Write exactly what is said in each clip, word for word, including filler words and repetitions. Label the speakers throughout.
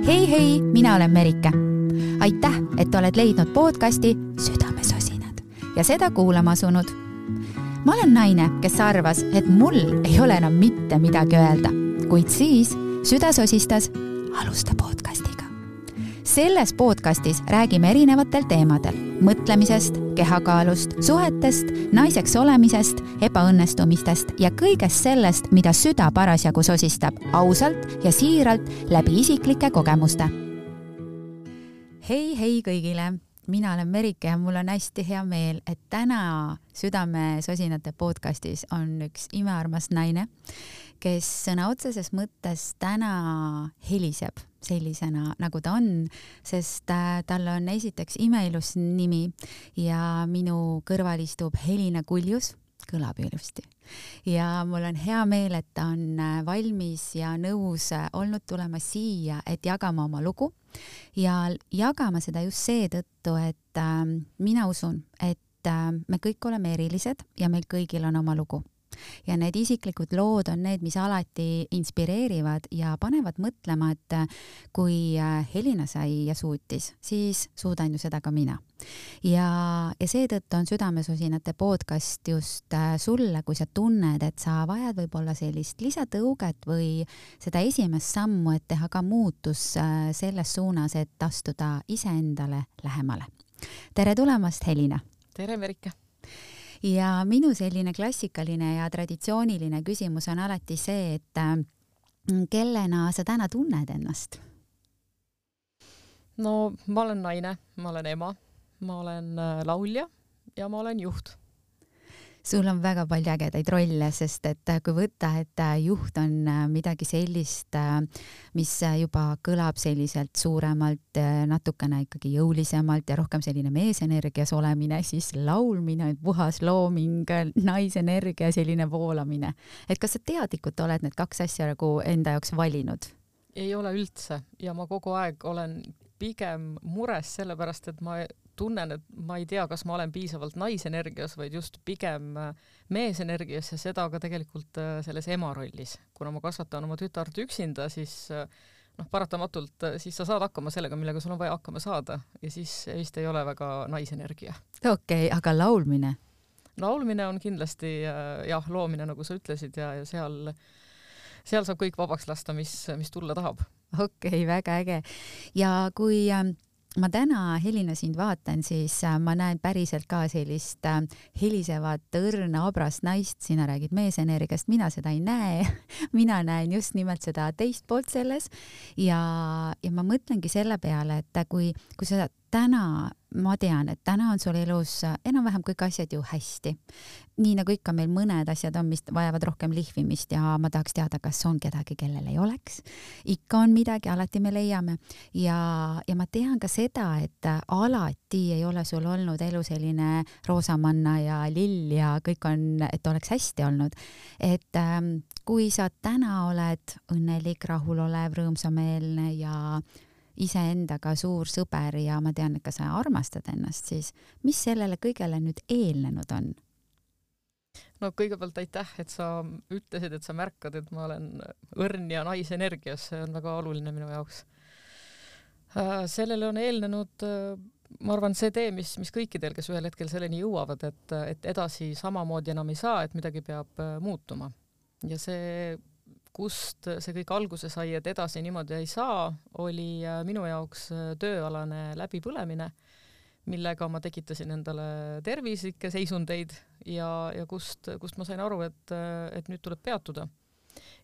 Speaker 1: Hei hei, mina olen Merike. Aitäh, et oled leidnud podcasti Südamesosinad ja seda kuulama asunud. Ma olen naine, kes arvas, et mul ei ole enam mitte midagi öelda, kuid siis süda sosistas alusta podcastiga. Selles podcastis räägime erinevatel teemadel, mõtlemisest, kehakaalust, suhetest, naiseks olemisest, ebaõnnestumistest ja kõigest sellest, mida süda parasjagu sosistab ausalt ja siiralt läbi isiklike kogemuste. Hei, hei kõigile! Mina olen Merike ja mul on hästi hea meel, et täna Südamesosinate podcastis on üks imearmas naine, kes sõna otseses mõttes täna heliseb sellisena, nagu ta on, sest tal on esiteks imeilus nimi ja minu kõrval istub Helina Kuljus, kõlab ilusti. Ja mul on hea meel, et ta on valmis ja nõus olnud tulema siia, et jagama oma lugu ja jagama seda just seetõttu, et mina usun, et me kõik oleme erilised ja meil kõigil on oma lugu. Ja need isiklikud lood on need, mis alati inspireerivad ja panevad mõtlema, et kui Helina sai ja suutis, siis suudan ju seda ka mina. Ja, ja seetõttu on Südamesosinate podcast just sulle, kui sa tunned, et sa vajad võib-olla sellist lisatõuget või seda esimest sammu, et teha ka muutus selles suunas, et astuda iseendale lähemale. Tere tulemast, Helina!
Speaker 2: Tere, Merike!
Speaker 1: Ja minu selline klassikaline ja traditsiooniline küsimus on alati see, et kellena sa täna tunned ennast?
Speaker 2: No, ma olen naine, ma olen ema, ma olen laulja ja ma olen juht.
Speaker 1: Sul on väga palju ägedaid rolle, sest et kui võtta, et juht on midagi sellist, mis juba kõlab selliselt suuremalt, natukene ikkagi jõulisemalt ja rohkem selline meesenergias olemine, siis laulmine, puhas looming, naisenergia, selline voolamine. Et kas sa teadlikult oled need kaks asja nagu enda jaoks valinud?
Speaker 2: Ei ole üldse ja ma kogu aeg olen pigem mures sellepärast, et ma tunnen, et ma ei tea, kas ma olen piisavalt naisenergias, vaid just pigem meesenergias ja seda ka tegelikult selles ema rollis. Kuna ma kasvatan oma tütart üksinda, siis noh, paratamatult siis sa saad hakkama sellega, millega sul on vaja hakkama saada ja siis vist ei ole väga naisenergia.
Speaker 1: Okei, okay, aga laulmine?
Speaker 2: Laulmine on kindlasti jah, loomine, nagu sa ütlesid ja, ja seal, seal saab kõik vabaks lasta, mis, mis tulla tahab.
Speaker 1: Okei, okay, väga äge. Ja kui ma täna Helina sind vaatan, siis ma näen päriselt ka sellist helisevat, õrna, abrast naist. Sina räägid meesenergiast, mina seda ei näe. Mina näen just nimelt seda teist poolt selles ja, ja ma mõtlengi selle peale, et kui, kui sa täna, ma tean, et täna on sul elus enam-vähem kõik asjad ju hästi. Nii nagu ikka meil mõned asjad on, mis vajavad rohkem lihvimist ja ma tahaks teada, kas on kedagi, kellel ei oleks. Ikka on midagi, alati me leiame. Ja, ja ma tean ka seda, et alati ei ole sul olnud elu selline roosamanna ja lill ja kõik on, et oleks hästi olnud. Et ähm, kui sa täna oled õnnelik, rahulolev, rõõmsameelne ja iseendaga suur sõber ja ma tean, et ka sa armastad ennast, siis mis sellele kõigele nüüd eelnenud on?
Speaker 2: No kõigepealt aitäh, et sa ütlesid, et sa märkad, et ma olen õrn ja naisenergias, see on väga oluline minu jaoks. Sellele on eelnenud, ma arvan, see tee, mis, mis kõikidel, kes ühel hetkel selleni jõuavad, et, et edasi samamoodi enam ei saa, et midagi peab muutuma. Ja see kust see kõik alguse sai, et edasi niimoodi ei saa, oli minu jaoks tööalane läbipõlemine, millega ma tekitasin endale tervislikke seisundeid ja, ja kust, kust ma sain aru, et, et nüüd tuleb peatuda.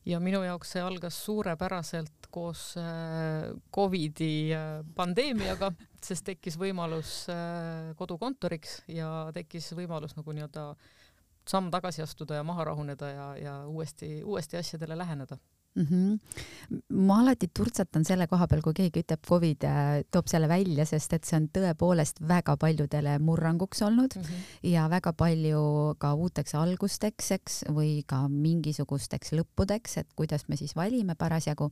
Speaker 2: Ja minu jaoks see algas suurepäraselt koos Covidi pandeemiaga, sest tekkis võimalus kodukontoriks ja tekkis võimalus nagu nii-öelda samm tagasi astuda ja maha rahuneda ja, ja uuesti, uuesti asjadele läheneda.
Speaker 1: Mm-hmm. Ma alati turtsatan selle koha peal, kui keegi ütleb Covid, toob selle välja, sest et see on tõepoolest väga paljudele murranguks olnud mm-hmm. ja väga palju ka uuteks algusteks eks, või ka mingisugusteks lõppudeks, et kuidas me siis valime parasjagu.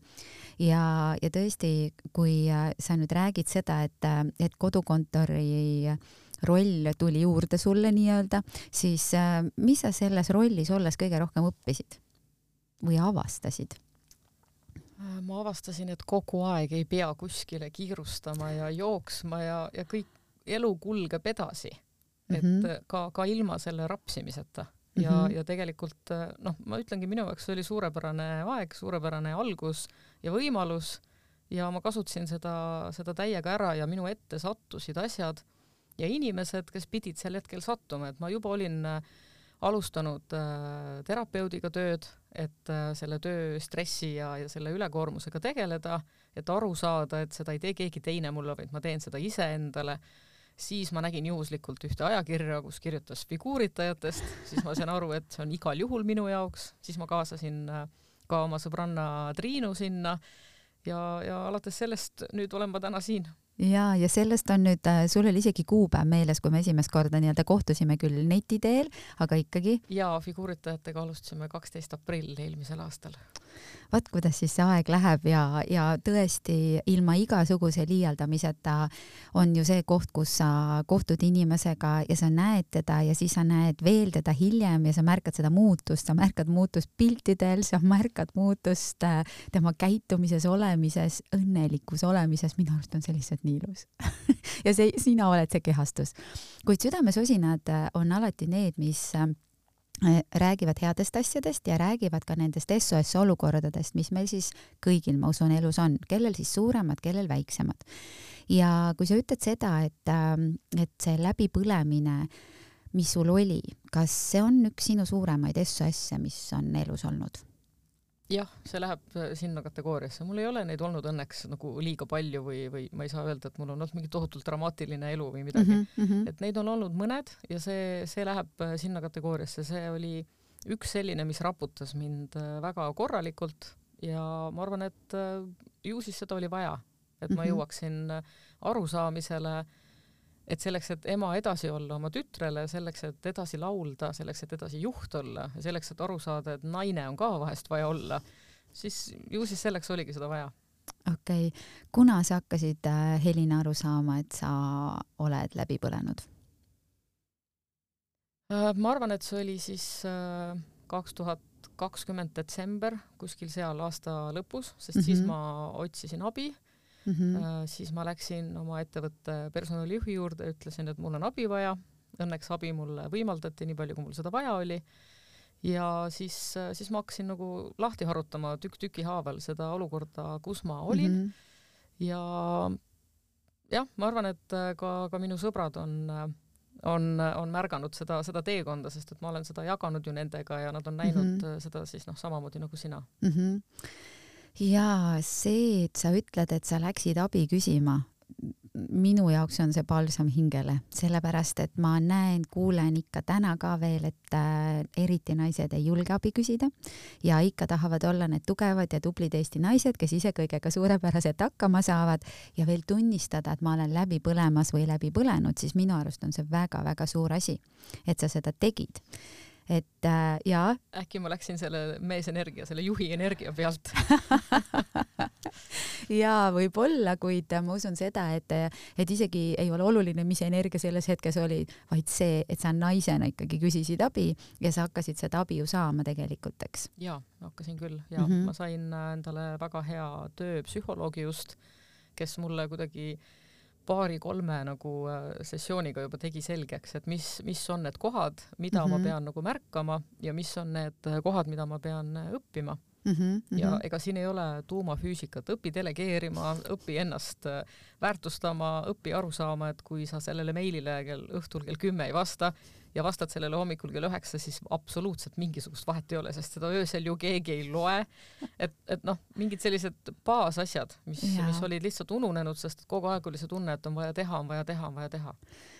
Speaker 1: Ja, ja tõesti, kui sa nüüd räägid seda, et, et kodukontori roll tuli juurde sulle nii-öelda, siis mis sa selles rollis olles kõige rohkem õppisid või avastasid?
Speaker 2: ma avastasin, et kogu aeg ei pea kuskile kiirustama ja jooksma ja, ja kõik elu kulgeb edasi. Et mm -hmm. ka, ka ilma selle rapsimiseta. Ja, mm -hmm. ja tegelikult, noh, ma ütlengi, minu jaoks oli suurepärane aeg, suurepärane algus ja võimalus ja ma kasutasin seda, seda täiega ära ja minu ette sattusid asjad ja inimesed, kes pidid sel hetkel sattuma, et ma juba olin alustanud äh, terapeudiga tööd, et äh, selle töö stressi ja, ja selle ülekoormusega tegeleda, et aru saada, et seda ei tee keegi teine mulle, vaid ma teen seda ise endale. Siis ma nägin juhuslikult ühte ajakirja, kus kirjutas figuuritajatest, siis ma sain aru, et see on igal juhul minu jaoks, siis ma kaasasin äh, ka oma sõbranna Triinu sinna ja, ja alates sellest nüüd olen ma täna siin.
Speaker 1: Ja, ja sellest on nüüd, sul oli isegi kuupäev meeles, kui me esimest korda nii-öelda kohtusime küll neti teel, aga ikkagi.
Speaker 2: Ja figuuritajatega alustasime kaksteist aprill eelmisel aastal.
Speaker 1: Vaat kuidas siis see aeg läheb ja, ja tõesti ilma igasuguse liialdamiseta on ju see koht, kus sa kohtud inimesega ja sa näed teda ja siis sa näed veel teda hiljem ja sa märkad seda muutust, sa märkad muutust piltidel, sa märkad muutust tema käitumises, olemises, õnnelikus olemises, minu arust on see lihtsalt nii ilus. ja see, sina oled see kehastus. Kuid südamesosinad on alati need, mis räägivad headest asjadest ja räägivad ka nendest S O S olukordadest, mis meil siis kõigil, ma usun, elus on, kellel siis suuremad, kellel väiksemad. Ja kui sa ütled seda, et, et see läbipõlemine, mis sul oli, kas see on üks sinu suuremaid S O S-e, mis on elus olnud?
Speaker 2: Jah, see läheb sinna kategooriasse. Mul ei ole neid olnud õnneks nagu liiga palju või, või ma ei saa öelda, et mul on olnud mingi tohutult dramaatiline elu või midagi. Mm -hmm. Et neid on olnud mõned ja see, see läheb sinna kategooriasse. See oli üks selline, mis raputas mind väga korralikult ja ma arvan, et ju siis seda oli vaja, et ma jõuaksin arusaamisele, et selleks, et ema edasi olla oma tütrele, selleks, et edasi laulda, selleks, et edasi juht olla ja selleks, et aru saada, et naine on ka vahest vaja olla, siis ju siis selleks oligi seda vaja.
Speaker 1: Okei. Okay. Kuna sa hakkasid Helina aru saama, et sa oled läbi põlenud?
Speaker 2: Ma arvan, et see oli siis kaks tuhat kakskümmend detsember, kuskil seal aasta lõpus, sest mm-hmm. siis ma otsisin abi. Mm -hmm. Siis ma läksin oma ettevõtte personalijuhi juurde, ütlesin, et mul on abi vaja. Õnneks abi mulle võimaldati nii palju, kui mul seda vaja oli. Ja siis, siis ma hakkasin nagu lahti harutama tükk tüki haaval seda olukorda, kus ma olin. Mm -hmm. Ja jah, ma arvan, et ka, ka minu sõbrad on, on, on märganud seda, seda teekonda, sest et ma olen seda jaganud ju nendega ja nad on näinud mm -hmm. seda siis noh, samamoodi nagu sina.
Speaker 1: Mm -hmm. Ja see, et sa ütled, et sa läksid abi küsima, minu jaoks on see palsam hingele, sellepärast, et ma näen, kuulen ikka täna ka veel, et äh, eriti naised ei julge abi küsida ja ikka tahavad olla need tugevad ja tublid Eesti naised, kes ise kõigega suurepäraselt hakkama saavad ja veel tunnistada, et ma olen läbi põlemas või läbi põlenud, siis minu arust on see väga-väga suur asi, et sa seda tegid. Et äh, jaa.
Speaker 2: Äkki ma läksin selle meesenergia, selle juhi energia pealt.
Speaker 1: Jaa, võib olla, kuid ma usun seda, et, et isegi ei ole oluline, mis energia selles hetkes oli, vaid see, et sa naisena ikkagi küsisid abi ja sa hakkasid seda abi ju saama tegelikult, eks?
Speaker 2: Jaa, hakkasin küll. Ja mm -hmm. ma sain endale väga hea tööpsühholoogi just, kes mulle kuidagi paari-kolme nagu sessiooniga juba tegi selgeks, et mis, mis on need kohad, mida mm -hmm. ma pean nagu märkama ja mis on need kohad, mida ma pean õppima. Mm -hmm. Ja ega siin ei ole tuumafüüsikat, õpi delegeerima, õpi ennast väärtustama, õpi aru saama, et kui sa sellele meilile kell õhtul kell kümme ei vasta ja vastad sellele hommikul kell üheksa, siis absoluutselt mingisugust vahet ei ole, sest seda öösel ju keegi ei loe. Et, et noh, mingid sellised baasasjad, mis, mis olid lihtsalt ununenud, sest kogu aeg oli see tunne, et on vaja teha, on vaja teha, on vaja teha.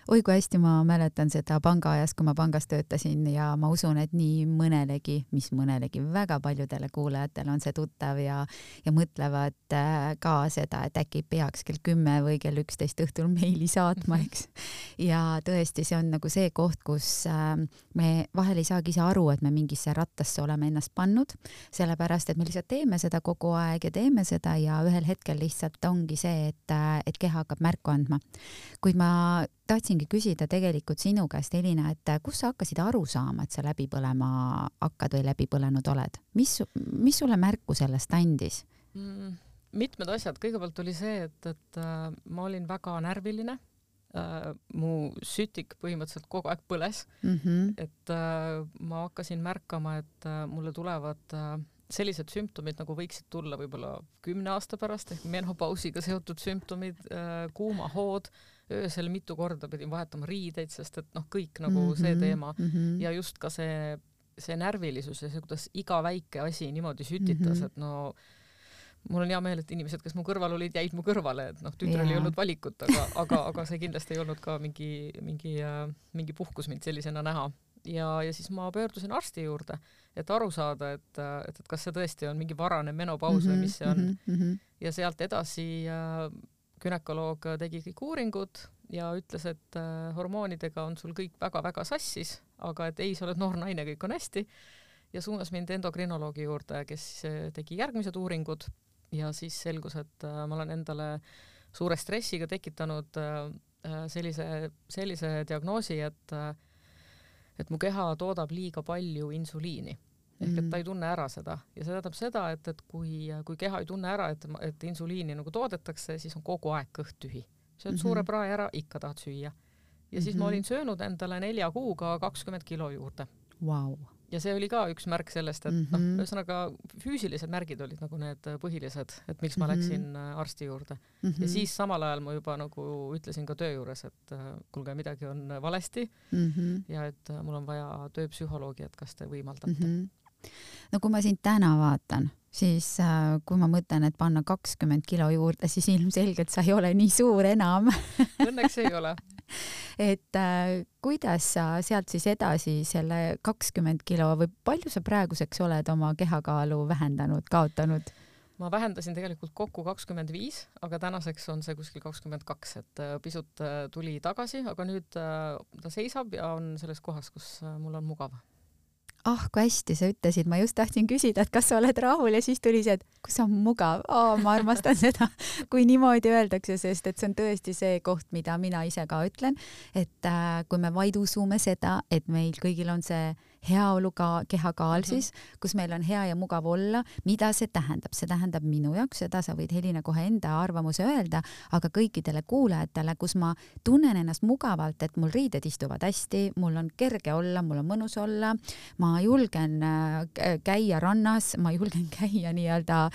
Speaker 1: Oi, kui hästi ma mäletan seda pangaajast, kui ma pangas töötasin ja ma usun, et nii mõnelegi, mis mõnelegi väga paljudele kuulajatele on see tuttav ja, ja mõtlevad ka seda, et äkki peaks kell kümme või kell üksteist õhtul meili saatma, eks. Ja tõesti, see on nagu see koht, kus me vahel ei saagi ise aru, et me mingisse rattasse oleme ennast pannud, sellepärast, et me lihtsalt teeme seda kogu aeg ja teeme seda ja ühel hetkel lihtsalt ongi see, et, et keha hakkab märku andma. Kuid ma tahtsingi küsida tegelikult sinu käest, Helina, et kus sa hakkasid aru saama, et sa läbi põlema hakkad või läbi põlenud oled? Mis, mis sulle märku sellest andis?
Speaker 2: mm,? Mitmed asjad. Kõigepealt oli see, et, et äh, ma olin väga närviline. Äh, mu sütik põhimõtteliselt kogu aeg põles. Mm-hmm. Et äh, ma hakkasin märkama, et äh, mulle tulevad äh, sellised sümptomid, nagu võiksid tulla võib-olla kümne aasta pärast, ehk menopausiga seotud sümptomid, äh, kuumahood, öösel mitu korda pidin vahetama riideid, sest et noh, kõik nagu mm-hmm. see teema mm-hmm. ja just ka see, see närvilisus ja see, kuidas iga väike asi niimoodi sütitas, mm-hmm. et no mul on hea meel, et inimesed, kes mu kõrval olid, jäid mu kõrvale, et noh, tütrel yeah. ei olnud valikut, aga, aga, aga see kindlasti ei olnud ka mingi, mingi, mingi puhkus mind sellisena näha. Ja, ja siis ma pöördusin arsti juurde, et aru saada, et, et, et kas see tõesti on mingi varane menopaus mm-hmm, või mis see on. Mm-hmm. Ja sealt edasi äh, günekoloog tegi kõik uuringud ja ütles, et äh, hormoonidega on sul kõik väga-väga sassis, aga et ei, sa oled noor naine, kõik on hästi. Ja suunas mind endokrinoloogi juurde, kes tegi järgmised uuringud. Ja siis selgus, et äh, ma olen endale suure stressiga tekitanud äh, sellise, sellise diagnoosi, et, äh, et mu keha toodab liiga palju insuliini. Ehk et ta ei tunne ära seda. Ja see tähendab seda, et, et kui, kui keha ei tunne ära, et, et insuliini nagu toodetakse, siis on kogu aeg kõht tühi. Sööd mm-hmm. suure prae ära, ikka tahad süüa. Ja mm-hmm. siis ma olin söönud endale nelja kuuga kakskümmend kilo juurde.
Speaker 1: Wow.
Speaker 2: Ja see oli ka üks märk sellest, et mm-hmm. noh, ühesõnaga füüsilised märgid olid nagu need põhilised, et miks ma mm-hmm. läksin arsti juurde. Mm-hmm. Ja siis samal ajal ma juba nagu ütlesin ka töö juures, et kuulge, midagi on valesti mm-hmm. ja et mul on vaja tööpsühholoogi, et kas te võimaldate.
Speaker 1: Mm-hmm. No kui ma sind täna vaatan, siis äh, kui ma mõtlen, et panna kakskümmend kilo juurde, siis ilmselgelt sa ei ole nii suur enam.
Speaker 2: Õnneks ei ole.
Speaker 1: Et äh, kuidas sa sealt siis edasi selle kakskümmend kilo või palju sa praeguseks oled oma kehakaalu vähendanud, kaotanud?
Speaker 2: Ma vähendasin tegelikult kokku kakskümmend viis, aga tänaseks on see kuskil kakskümmend kaks, et äh, pisut äh, tuli tagasi, aga nüüd äh, ta seisab ja on selles kohas, kus äh, mul on mugav.
Speaker 1: Ah, kui hästi sa ütlesid, ma just tahtsin küsida, et kas sa oled rahul ja siis tuli see, et kus on mugav. Oh, ma armastan seda, kui niimoodi öeldakse, sest et see on tõesti see koht, mida mina ise ka ütlen, et äh, kui me vaid usume seda, et meil kõigil on see heaolu ka kehakaal siis, mm-hmm. kus meil on hea ja mugav olla, mida see tähendab? See tähendab minu jaoks, seda sa võid Helina kohe enda arvamuse öelda, aga kõikidele kuulajatele, kus ma tunnen ennast mugavalt, et mul riided istuvad hästi, mul on kerge olla, mul on mõnus olla, ma julgen käia rannas, ma julgen käia nii-öelda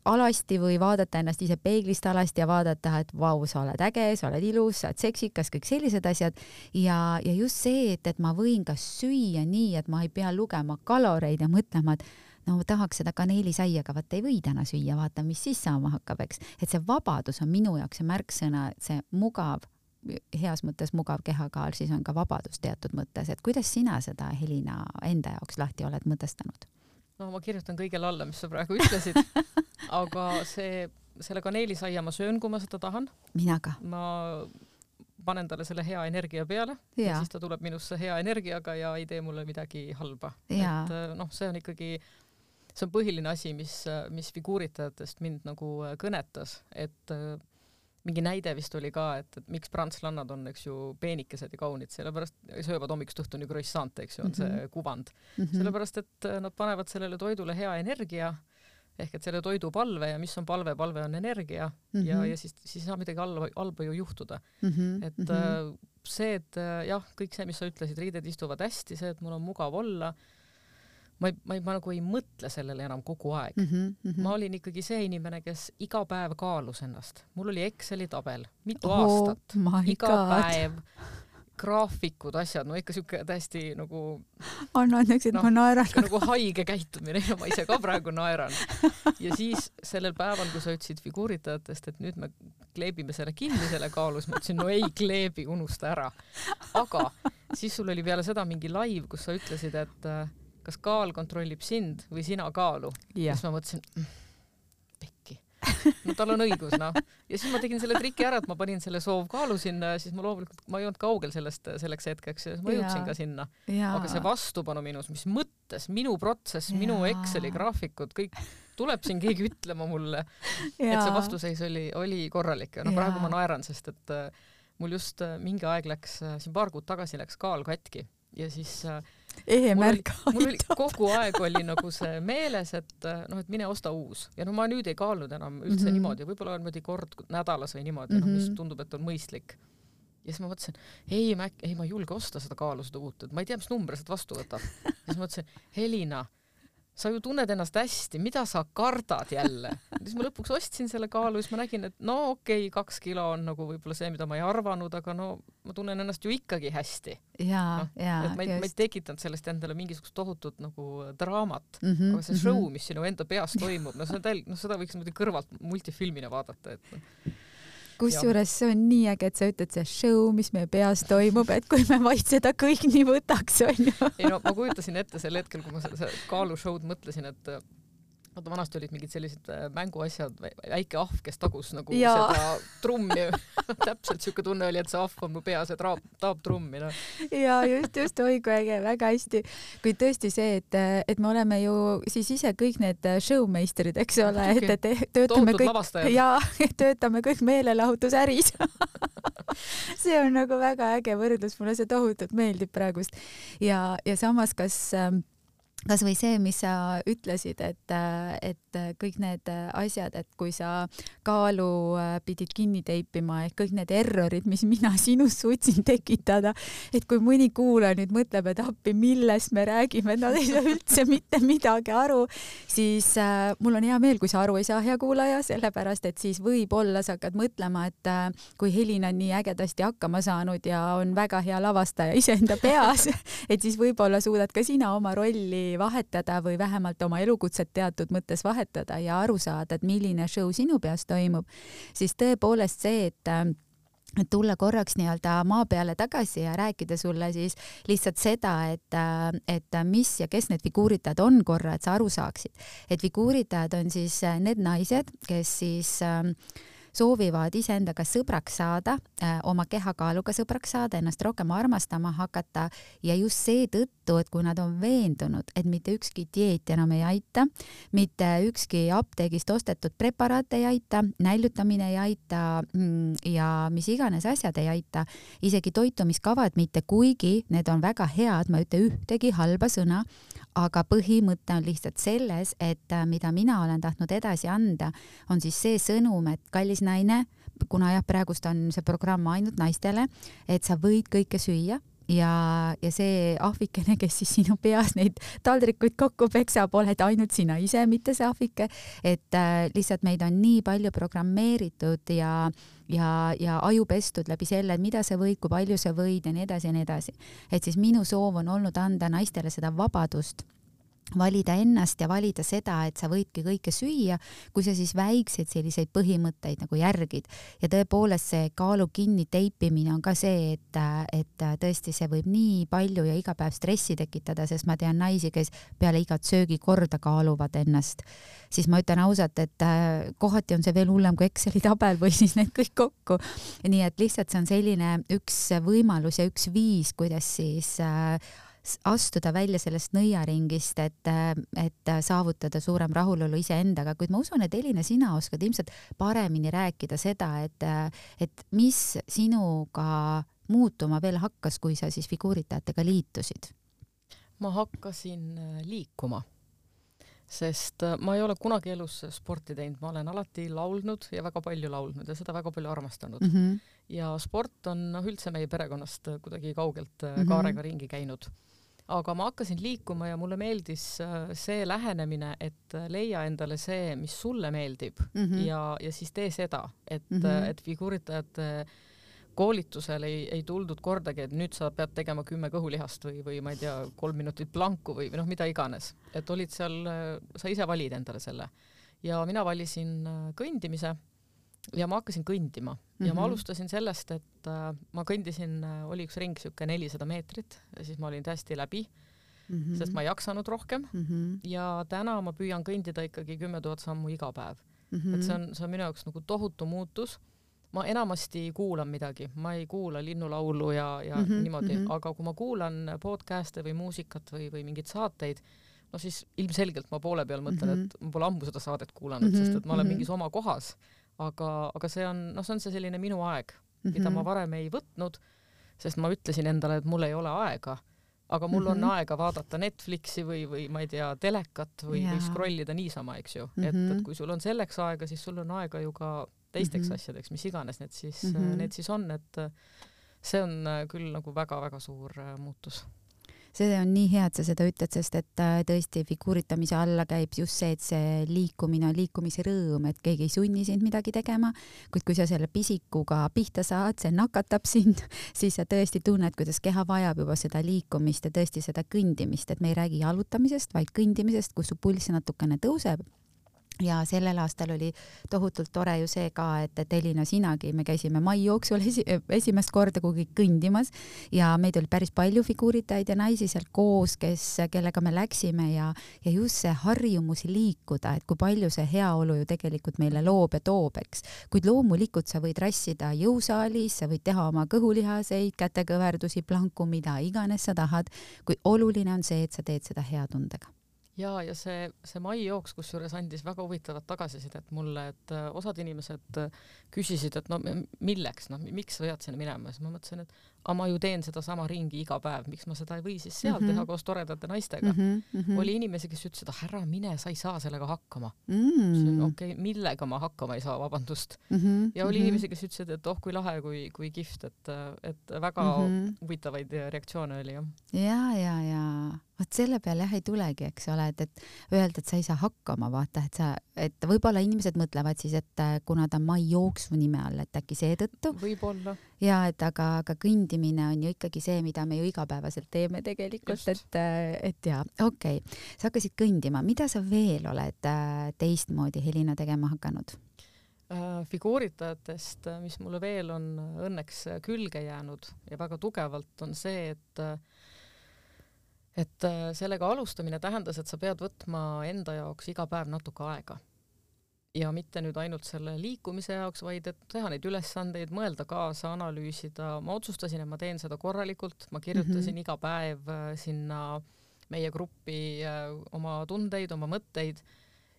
Speaker 1: alasti või vaadata ennast ise peeglist alasti ja vaadata, et vau, sa oled äge, sa oled ilus, sa oled seksikas, kõik sellised asjad. Ja, ja just see, et, et ma võin ka süüa nii, et ma ei pea lugema kaloreid ja mõtlema, et no tahaks seda kaneelisaiaga, vaat ei või täna süüa, vaata, mis siis saama hakkab, eks. Et see vabadus on minu jaoks see märksõna, see mugav, heas mõttes mugav kehakaal, siis on ka vabadus teatud mõttes. Et kuidas sina seda, Helina, enda jaoks lahti oled mõtestanud?
Speaker 2: No ma kirjutan kõigele alla, mis sa praegu ütlesid, aga see, selle kaneelisaia ma söön, kui ma seda tahan.
Speaker 1: Mina ka.
Speaker 2: Ma panen talle selle hea energia peale ja, ja siis ta tuleb minusse hea energiaga ja ei tee mulle midagi halba. Ja. Et noh, see on ikkagi, see on põhiline asi, mis, mis figuuritajatest mind nagu kõnetas, et mingi näide vist oli ka, et, et miks prantslannad on, eks ju, peenikesed ja kaunid, sellepärast söövad hommikust õhtuni croissant, eks ju, on see kuvand. Mm-hmm. Sellepärast, et nad panevad sellele toidule hea energia, ehk et selle toidu palve ja mis on palve, palve on energia mm-hmm. ja, ja siis, siis ei saa midagi halba, halba ju juhtuda. Mm-hmm. Et mm-hmm. see, et jah, kõik see, mis sa ütlesid, riided istuvad hästi, see, et mul on mugav olla, Ma, ei, ma, ei, ma nagu ei mõtle sellele enam kogu aeg. Mm-hmm, mm-hmm. Ma olin ikkagi see inimene, kes iga päev kaalus ennast. Mul oli Exceli tabel, mitu oh, aastat, iga God. Päev, graafikud, asjad, no ikka siuke täiesti nagu...
Speaker 1: Anna annaks, et no, ma naeran.
Speaker 2: Nagu haige käitumine ja ma ise ka praegu naeran. Ja siis sellel päeval, kui sa ütlesid figuuritajatest, et nüüd me kleebime selle kinni selle kaalus, ma ütlesin, no ei kleebi, unusta ära. Aga siis sul oli peale seda mingi live, kus sa ütlesid, et kas kaal kontrollib sind või sina kaalu. Ja siis ma mõtlesin, mm, pekki. No tal on õigus, noh. Ja siis ma tegin selle triki ära, et ma panin selle soovkaalu sinna ja siis ma loomulikult, ma ei olnud kaugel sellest selleks hetkeks ja ma jõudsin ka sinna. Ja. Aga see vastupanu minus, mis mõttes, minu protsess, ja. Minu Exceli graafikud, kõik tuleb siin keegi ütlema mulle, ja. Et see vastuseis oli, oli korralik. No praegu ma naeran, sest et mul just mingi aeg läks, siin paar kuud tagasi läks kaal katki ja siis
Speaker 1: ehe märk
Speaker 2: aitab. Kogu aeg oli nagu see meeles, et noh, et mine osta uus. Ja no ma nüüd ei kaalunud enam üldse mm -hmm. niimoodi, võib-olla niimoodi kord nädalas või niimoodi, mm -hmm. no, mis tundub, et on mõistlik. Ja siis ma mõtlesin, ei ma, ei, ma ei julge osta seda kaalu, seda uut, et ma ei tea, mis number seda vastu võtab. Ja siis ma mõtlesin, Helina, sa ju tunned ennast hästi, mida sa kardad jälle? Siis ma lõpuks ostsin selle kaalu, siis ma nägin, et no okei, okay, kaks kilo on nagu võib-olla see, mida ma ei arvanud, aga no ma tunnen ennast ju ikkagi hästi.
Speaker 1: Jaa,
Speaker 2: no,
Speaker 1: jaa,
Speaker 2: et ma ei, ma ei tekitanud sellest endale mingisugust tohutut nagu draamat,
Speaker 1: mm -hmm,
Speaker 2: aga see mm -hmm. show, mis sinu enda peas toimub, no seda, no seda võiks kõrvalt multifilmina vaadata, et
Speaker 1: kusjuures see on nii äge, et sa ütled see show, mis meie peas toimub, et kui me vaid seda kõik nii võtaks, on ju.
Speaker 2: Ei no ma kujutasin ette sel hetkel, kui ma seda kaalushow'd mõtlesin, et vaata vanasti olid mingid sellised mänguasjad, väike ahv, kes tagus nagu ja. seda trummi. Täpselt siuke tunne oli, et see ahv on mu peas ja taab, taab trummi. No.
Speaker 1: Ja just, just, oi kui äge, väga hästi. Kui tõesti see, et, et me oleme ju siis ise kõik need showmeisterid, eks ole, et, et töötame kõik, ja, töötame kõik meelelahutusäris. See on nagu väga äge võrdlus, mulle see tohutult meeldib praegust. Ja, ja samas, kas kas või see, mis sa ütlesid, et, et kõik need asjad, et kui sa kaalu pidid kinni teipima, et kõik need errorid, mis mina sinust suutsin tekitada, et kui mõni kuulaja nüüd mõtleb, et appi, millest me räägime, et nad ei saa üldse mitte midagi aru, siis äh, mul on hea meel, kui sa aru ei saa, hea kuulaja, sellepärast, et siis võib-olla sa hakkad mõtlema, et äh, kui Helina on nii ägedasti hakkama saanud ja on väga hea lavastaja iseenda peas, et siis võib-olla suudad ka sina oma rolli vahetada või vähemalt oma elukutset teatud mõttes vahetada ja aru saada, et milline show sinu peas toimub, siis tõepoolest see, et et tulla korraks nii-öelda maa peale tagasi ja rääkida sulle siis lihtsalt seda, et, et mis ja kes need figuuritajad on korra, et sa aru saaksid. Et figuuritajad on siis need naised, kes siis soovivad iseendaga sõbraks saada, oma kehakaaluga sõbraks saada, ennast rohkem armastama hakata ja just seetõttu, et kui nad on veendunud, et mitte ükski dieet enam ei aita, mitte ükski apteegist ostetud preparaat ei aita, näljutamine ei aita ja mis iganes asjad ei aita, isegi toitumiskavad mitte, kuigi need on väga head, ma ei ütle ühtegi halba sõna, aga põhimõte on lihtsalt selles, et mida mina olen tahtnud edasi anda, on siis see sõnum, et kallis naine, kuna jah, praegust on see programm ainult naistele, et sa võid kõike süüa ja, ja see ahvikene, kes siis sinu peas neid taldrikuid kokku peksab, oled ainult sina ise, mitte see ahvike, et äh, lihtsalt meid on nii palju programmeeritud ja ja, ja aju pestud läbi selle, mida sa võid, kui palju sa võid ja nii edasi ja nii edasi. Et siis minu soov on olnud anda naistele seda vabadust valida ennast ja valida seda, et sa võidki kõike süüa, kui sa siis väikseid selliseid põhimõtteid nagu järgid. Ja tõepoolest see kaalu kinni teipimine on ka see, et, et tõesti see võib nii palju ja iga päev stressi tekitada, sest ma tean naisi, kes peale igat söögikorda kaaluvad ennast. Siis ma ütlen ausalt, et kohati on see veel hullem kui Exceli tabel või siis need kõik kokku. Nii et lihtsalt see on selline üks võimalus ja üks viis, kuidas siis astuda välja sellest nõiaringist, et, et saavutada suurem rahulolu iseendaga, kuid ma usun, et Helina, sina oskad ilmselt paremini rääkida seda, et, et mis sinuga muutuma veel hakkas, kui sa siis figuuritajatega liitusid?
Speaker 2: Ma hakkasin liikuma, sest ma ei ole kunagi elus sporti teinud, ma olen alati laulnud ja väga palju laulnud ja seda väga palju armastanud. Mm -hmm. Ja sport on no, üldse meie perekonnast kuidagi kaugelt mm -hmm. kaarega ringi käinud. Aga ma hakkasin liikuma ja mulle meeldis see lähenemine, et leia endale see, mis sulle meeldib mm -hmm. ja, ja siis tee seda, et, mm -hmm. et figuuritajate koolitusel ei, ei tuldud kordagi, et nüüd sa pead tegema kümme kõhulihast või, või ma ei tea, kolm minutit planku või, või noh, mida iganes. Et olid seal, sa ise valid endale selle. Ja mina valisin kõndimise ja ma hakkasin kõndima ja mm -hmm. ma alustasin sellest, et äh, ma kõndisin, oli üks ring siuke nelisada meetrit ja siis ma olin täiesti läbi, mm -hmm. sest ma ei jaksanud rohkem mm -hmm. ja täna ma püüan kõndida ikkagi kümme tuhat sammu iga päev. Mm -hmm. Et see on, see on minu jaoks nagu tohutu muutus. Ma enamasti kuulan midagi, ma ei kuula linnulaulu ja, ja mm -hmm. niimoodi, mm -hmm. aga kui ma kuulan podcast'e või muusikat või, või mingeid saateid, no siis ilmselgelt ma poole peal mõtlen, mm -hmm. et ma pole ammu seda saadet kuulanud, mm -hmm. sest et ma olen mingis oma kohas. Aga, aga see on, no see on see selline minu aeg, mida mm -hmm. ma varem ei võtnud, sest ma ütlesin endale, et mul ei ole aega. aga mul on
Speaker 1: mm -hmm.
Speaker 2: aega vaadata Netflixi või, või ma ei tea, telekat või, või scrollida niisama, eks ju. Mm -hmm. et, et kui sul on selleks aega, siis sul on aega ju ka teisteks mm -hmm. asjadeks, mis iganes need siis, mm -hmm. need siis on, et see on küll nagu väga-väga suur muutus.
Speaker 1: See on nii hea, et sa seda ütled, sest et tõesti figuuritamise alla käib just see, et see liikumine on liikumise rõõm, et keegi ei sunni sind midagi tegema, kuid kui sa selle pisikuga pihta saad, see nakatab sind, siis sa tõesti tunned, kuidas keha vajab juba seda liikumist ja tõesti seda kõndimist, et me ei räägi jalutamisest, vaid kõndimisest, kus su pulss natukene tõuseb. Ja sellel aastal oli tohutult tore ju see ka, et, et Elina, sinagi, me käisime mai jooksul esi, esimest korda kuhugi kõndimas ja meid oli päris palju figuuritajaid ja naisi seal koos, kes, kellega me läksime ja, ja just see harjumus liikuda, et kui palju see heaolu ju tegelikult meile loob ja toob, eks. Kuid loomulikult sa võid rassida jõusaalis, sa võid teha oma kõhulihaseid, kätekõverdusi, planku, mida iganes sa tahad, kui oluline on see, et sa teed seda hea tundega.
Speaker 2: Ja, ja see, see mai jooks, kus juures andis väga huvitavat tagasisidet mulle, et osad inimesed küsisid, et no milleks, no miks sa pead sinna minema, siis ma mõtlesin, et aga ma ju teen seda sama ringi iga päev, miks ma seda ei või siis seal mm -hmm. teha koos toredate naistega. Mm -hmm. Oli inimesi, kes ütlesid, et ära mine, sa ei saa sellega hakkama. Mm -hmm. Okei, okay, millega ma hakkama ei saa, vabandust. Mm -hmm. Ja oli mm -hmm. inimesi, kes ütlesid, et oh, kui lahe, kui, kui kihvt, et, et väga mm -hmm. huvitavaid reaktsioone oli. Jah.
Speaker 1: Ja, ja, ja. Vot selle peale jah ei tulegi, eks ole, et, et öelda, et sa ei saa hakkama, vaata, et sa, et võib-olla inimesed mõtlevad siis, et kuna ta mai jooksu nime all, et äkki seetõttu.
Speaker 2: Võib-olla.
Speaker 1: Ja, et aga, aga kõndimine on ju ikkagi see, mida me ju igapäevaselt teeme tegelikult, et, et ja, okei. Okay. Sa hakkasid kõndima, mida sa veel oled teistmoodi, Helina, tegema hakanud?
Speaker 2: Figuuritajatest, mis mulle veel on õnneks külge jäänud ja väga tugevalt on see, et et sellega alustamine tähendas, et sa pead võtma enda jaoks iga päev natuke aega. Ja mitte nüüd ainult selle liikumise jaoks, vaid et teha neid ülesandeid, mõelda kaasa, analüüsida. Ma otsustasin, et ma teen seda korralikult. Ma kirjutasin mm -hmm. iga päev sinna meie gruppi oma tundeid, oma mõtteid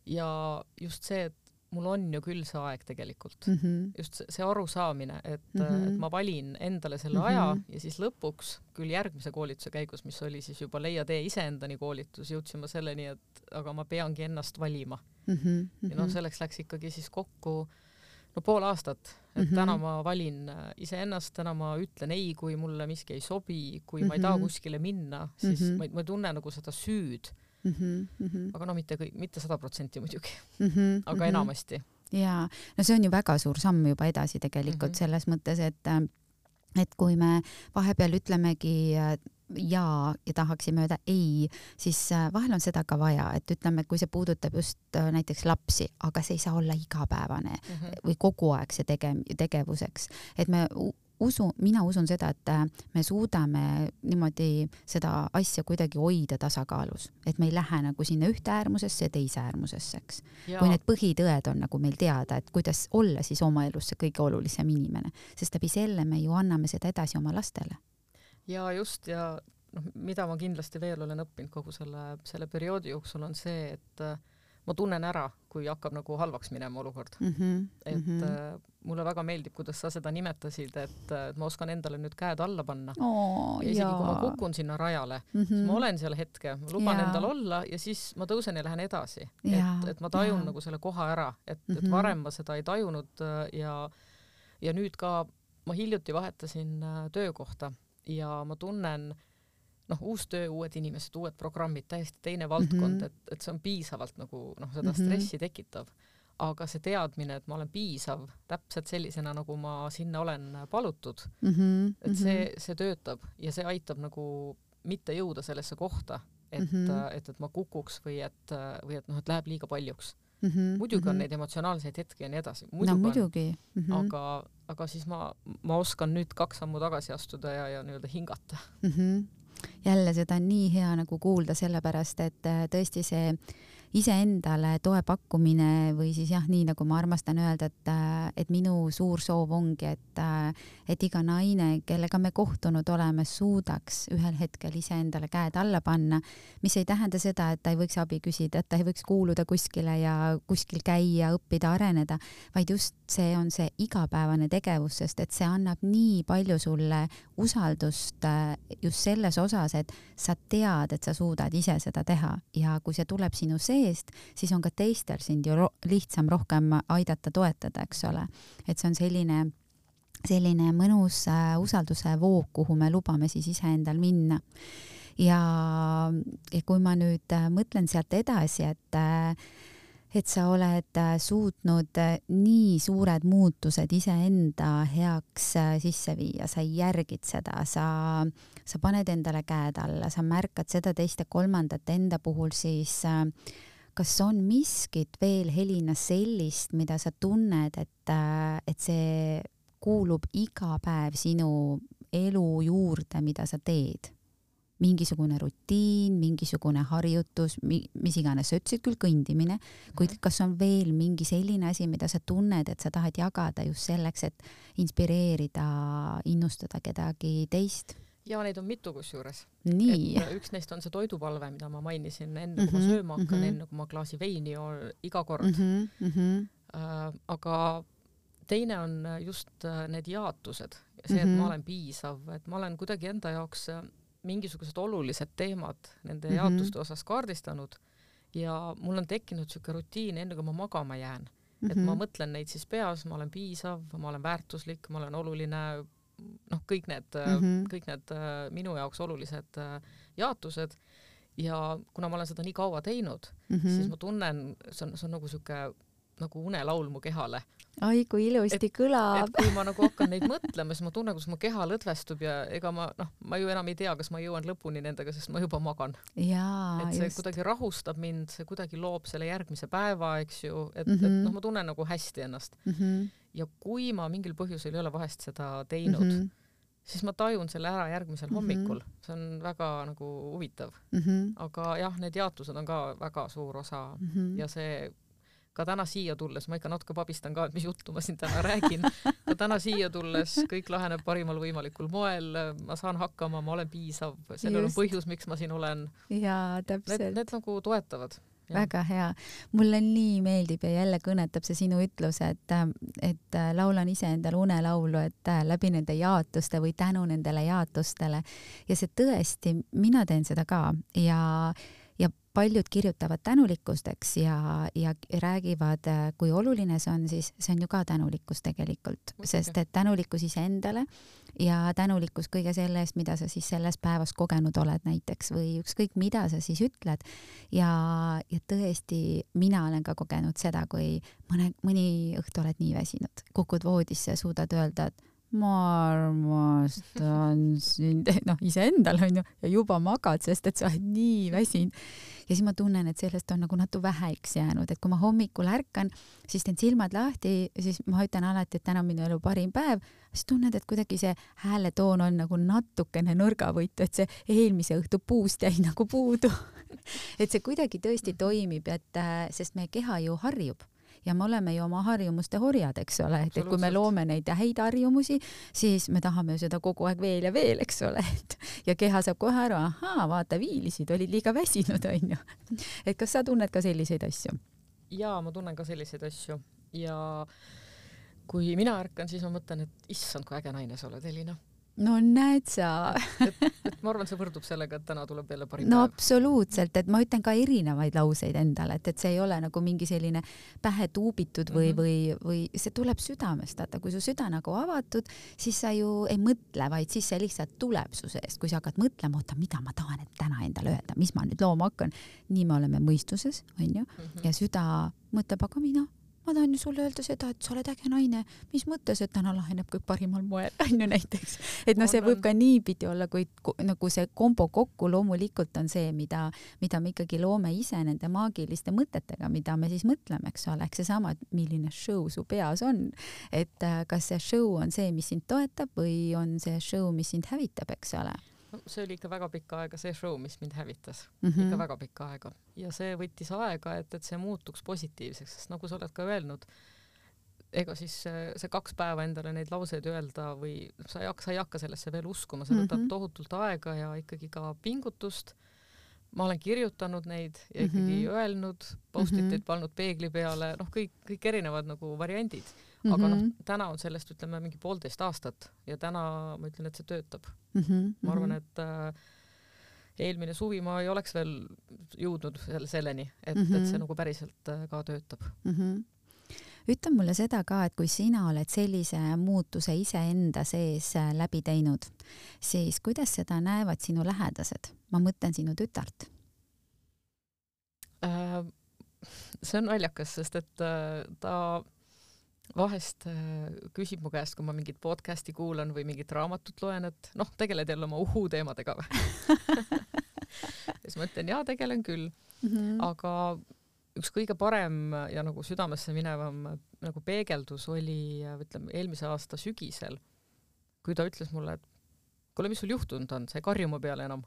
Speaker 2: ja just see, et mul on ju küll see aeg tegelikult. Mm -hmm. Just see, see arusaamine, et, mm -hmm. et ma valin endale selle mm -hmm. aja ja siis lõpuks küll järgmise koolituse käigus, mis oli siis juba Leia tee iseendani koolitus, jõudsin ma selleni, et aga ma peangi ennast valima. Mm -hmm. Ja noh, selleks läks ikkagi siis kokku no pool aastat, et mm -hmm. täna ma valin iseennast, täna ma ütlen ei, kui mulle miski ei sobi, kui mm -hmm. ma ei taha kuskile minna, siis mm -hmm. ma, ma ei tunne nagu seda süüd. Mm -hmm. Aga no mitte kõik, mitte sada protsenti muidugi, mm -hmm. aga enamasti.
Speaker 1: Ja, no see on ju väga suur samm juba edasi tegelikult mm -hmm. selles mõttes, et, et kui me vahepeal ütlemegi ja ja tahaksime öelda ei, siis vahel on seda ka vaja, et ütleme, kui see puudutab just näiteks lapsi, aga see ei saa olla igapäevane mm -hmm. või kogu aeg see tege- tegevuseks, et me usu, mina usun seda, et me suudame niimoodi seda asja kuidagi hoida tasakaalus, et me ei lähe nagu sinna ühte äärmusesse ja teise äärmusesse, eks. Kui need põhitõed on nagu meil teada, et kuidas olla siis oma elus see kõige olulisem inimene, sest läbi selle me ju anname seda edasi oma lastele.
Speaker 2: Ja just ja noh, mida ma kindlasti veel olen õppinud kogu selle, selle perioodi jooksul on see, et ma tunnen ära, kui hakkab nagu halvaks minema olukord. Mm -hmm, et mm -hmm. mulle väga meeldib, kuidas sa seda nimetasid, et, et ma oskan endale nüüd käed alla panna. Oh, ja isegi jaa. Kui ma kukun sinna rajale, mm -hmm. siis ma olen seal hetke, ma luban jaa. endal olla ja siis ma tõusen ja lähen edasi. Et, et ma tajun jaa. nagu selle koha ära, et, mm -hmm. et varem ma seda ei tajunud ja, ja nüüd ka ma hiljuti vahetasin töökohta ja ma tunnen noh, uus töö, uued inimesed, uued programmid, täiesti teine valdkond, mm -hmm. et, et see on piisavalt nagu noh, seda stressi tekitav. Aga see teadmine, et ma olen piisav täpselt sellisena, nagu ma sinna olen palutud, mm -hmm. et see, see töötab ja see aitab nagu mitte jõuda sellesse kohta, et, mm -hmm. et, et ma kukuks või et, või et noh, et läheb liiga paljuks. Mm -hmm. muidugi mm -hmm. on neid emotsionaalseid hetki ja nii edasi.
Speaker 1: No muidugi. Mm -hmm.
Speaker 2: aga, aga siis ma, ma oskan nüüd kaks sammu tagasi astuda ja, ja nii-öelda hingata.
Speaker 1: Mm -hmm. Jälle seda on nii hea nagu kuulda, sellepärast et tõesti see iseendale toe pakkumine või siis jah, nii nagu ma armastan öelda, et, et minu suur soov ongi, et, et iga naine, kellega me kohtunud oleme, suudaks ühel hetkel iseendale käed alla panna, mis ei tähenda seda, et ta ei võiks abi küsida, et ta ei võiks kuuluda kuskile ja kuskil käia, õppida, areneda, vaid just see on see igapäevane tegevus, sest et see annab nii palju sulle usaldust just selles osas, et sa tead, et sa suudad ise seda teha ja kui see tuleb sinu seest, siis on ka teistel sind ju ro- lihtsam rohkem aidata, toetada, eks ole. Et see on selline, selline mõnus äh, usalduse voog, kuhu me lubame siis iseendal minna. Ja, ja kui ma nüüd äh, mõtlen sealt edasi, et äh, et sa oled suutnud nii suured muutused iseenda heaks sisse viia, sa järgid seda, sa, sa paned endale käed alla, sa märkad seda teist ja kolmandat enda puhul, siis kas on miskit veel, Helina, sellist, mida sa tunned, et, et see kuulub iga päev sinu elu juurde, mida sa teed? Mingisugune rutiin, mingisugune harjutus, mis iganes, sa ütlesid küll kõndimine, kuid kas on veel mingi selline asi, mida sa tunned, et sa tahad jagada just selleks, et inspireerida, innustada kedagi teist?
Speaker 2: Ja neid on mitu kusjuures.
Speaker 1: Nii.
Speaker 2: Et üks neist on see toidupalve, mida ma mainisin enne, kui ma sööma hakkan, enne kui ma klaasi veini on iga kord. Mm-hmm, mm-hmm. Äh, aga teine on just need jaotused. See, et mm-hmm. ma olen piisav, et ma olen kuidagi enda jaoks mingisugused olulised teemad nende mm-hmm. jaotuste osas kaardistanud ja mul on tekkinud siuke rutiin enne kui ma magama jään. Mm-hmm. Et ma mõtlen neid siis peas, ma olen piisav, ma olen väärtuslik, ma olen oluline, noh, kõik need, mm-hmm. kõik need minu jaoks olulised jaotused ja kuna ma olen seda nii kaua teinud, mm-hmm. siis ma tunnen, see on, see on nagu siuke nagu unelaul mu kehale.
Speaker 1: Ai, kui ilusti et, kõlab.
Speaker 2: Et kui ma nagu hakkan neid mõtlema, siis ma tunnen, kus mu keha lõdvestub ja ega ma, noh, ma ju enam ei tea, kas ma jõuan lõpuni nendega, sest ma juba magan.
Speaker 1: Jaa,
Speaker 2: et see
Speaker 1: just.
Speaker 2: Kuidagi rahustab mind, see kuidagi loob selle järgmise päeva, eks ju, et,
Speaker 1: mm-hmm.
Speaker 2: et noh, ma tunnen nagu hästi ennast.
Speaker 1: Mm-hmm.
Speaker 2: Ja kui ma mingil põhjusel ei ole vahest seda teinud, mm-hmm. siis ma tajun selle ära järgmisel mm-hmm. hommikul. See on väga nagu huvitav. Mm-hmm. Aga jah, need jaotused on ka väga suur osa mm-hmm. ja see ka täna siia tulles, ma ikka natuke pabistan ka, et mis juttu ma siin täna räägin, ka täna siia tulles kõik laheneb parimal võimalikul moel, ma saan hakkama, ma olen piisav, sellel on põhjus, miks ma siin olen.
Speaker 1: Jaa, täpselt.
Speaker 2: Need, need nagu toetavad. Ja.
Speaker 1: Väga hea. Mulle nii meeldib ja jälle kõnetab see sinu ütlus, et, et laulan ise endale unelaulu, et läbi nende jaotuste või tänu nendele jaotustele. Ja see tõesti, mina teen seda ka ja ja paljud kirjutavad tänulikkusteks ja, ja räägivad, kui oluline see on, siis see on ju ka tänulikkus tegelikult, sest et tänulikkus iseendale ja tänulikkus kõige selle eest, mida sa siis selles päevas kogenud oled näiteks või ükskõik mida sa siis ütled ja, ja tõesti mina olen ka kogenud seda, kui mõne, mõni õhtu oled nii väsinud, kukud voodisse ja suudad öelda, et ma armastan sind, noh iseendal on ju, ja juba magad, sest et sa oled nii väsinud. Ja siis ma tunnen, et sellest on nagu natuke väheks jäänud, et kui ma hommikul ärkan, siis teen silmad lahti, siis ma ütlen alati, et täna on minu elu parim päev, siis tunned, et kuidagi see hääletoon on nagu natukene nõrgavõitu, et see eelmise õhtu puust jäi nagu puudu. Et see kuidagi tõesti toimib, et, sest meie keha ju harjub. Ja me oleme ju oma harjumuste horjad, eks ole, et kui me loome neid häid harjumusi, siis me tahame seda kogu aeg veel ja veel, eks ole, et ja keha saab kohe aru, ahaa, vaata, viilisid, olid liiga väsinud, on ju. Et kas sa tunned ka selliseid asju?
Speaker 2: Jaa, ma tunnen ka selliseid asju ja kui mina ärkan, siis ma mõtlen, et issand, kui äge naine sa oled, Helina.
Speaker 1: No näed sa.
Speaker 2: et, et ma arvan, see võrdub sellega, et täna tuleb jälle parim
Speaker 1: no,
Speaker 2: päev.
Speaker 1: Absoluutselt, et ma ütlen ka erinevaid lauseid endale, et, et see ei ole nagu mingi selline pähe tuubitud või, mm-hmm. või, või see tuleb südamest. Vaata, kui su süda nagu avatud, siis sa ju ei mõtle, vaid siis see lihtsalt tuleb su seest. Kui sa hakkad mõtlema, oota, mida ma tahan et täna endale öelda, mis ma nüüd looma hakkan. Nii me oleme mõistuses, on ju, mm-hmm. ja süda mõtleb, aga mina ma tahan ju sulle öelda seda, et sa oled äge naine, mis mõttes, et täna laheneb kõik parimal moel, on ju näiteks. Et no see võib ka niipidi olla, kui nagu see kombo kokku loomulikult on see, mida, mida me ikkagi loome ise nende maagiliste mõtetega, mida me siis mõtleme, eks ole, eks see sama, milline show su peas on. Et kas see show on see, mis sind toetab või on see show, mis sind hävitab, eks ole.
Speaker 2: no, see oli ikka väga pikka aega see show, mis mind hävitas
Speaker 1: mm. -hmm.
Speaker 2: ikka väga pikka aega. Ja see võttis aega, et, et see muutuks positiivseks, sest nagu sa oled ka öelnud, ega siis see, see kaks päeva endale neid lauseid öelda või sa ei hakka, sa ei hakka sellesse veel uskuma, see võtab mm -hmm. tohutult aega ja ikkagi ka pingutust. Ma olen kirjutanud neid ja ikkagi mm -hmm. öelnud, post-it'id mm -hmm. pannud peegli peale, noh, kõik, kõik erinevad nagu variandid. Aga mm -hmm. noh, täna on sellest, ütleme, mingi poolteist aastat ja täna ma ütlen, et see töötab. Mm -hmm. Ma arvan, et äh, eelmine suvi ma ei oleks veel jõudnud selle, selleni, et, mm -hmm. et see nagu päriselt äh, ka töötab.
Speaker 1: Mm -hmm. Ütle mulle seda ka, et kui sina oled sellise muutuse iseenda sees läbi teinud, siis kuidas seda näevad sinu lähedased? Ma mõtlen sinu tütart.
Speaker 2: Äh, see on naljakas, sest et äh, ta vahest äh, küsib mu käest, kui ma mingit podcasti kuulan või mingit raamatut loen, et noh, tegeled jälle oma uhuu teemadega või? Ja siis ma ütlen, jaa, tegelen küll. Mm -hmm. Aga üks kõige parem ja nagu südamesse minevam nagu peegeldus oli, ütleme, eelmise aasta sügisel, kui ta ütles mulle, et kuule, mis sul juhtunud on, sa ei karju mu peale enam.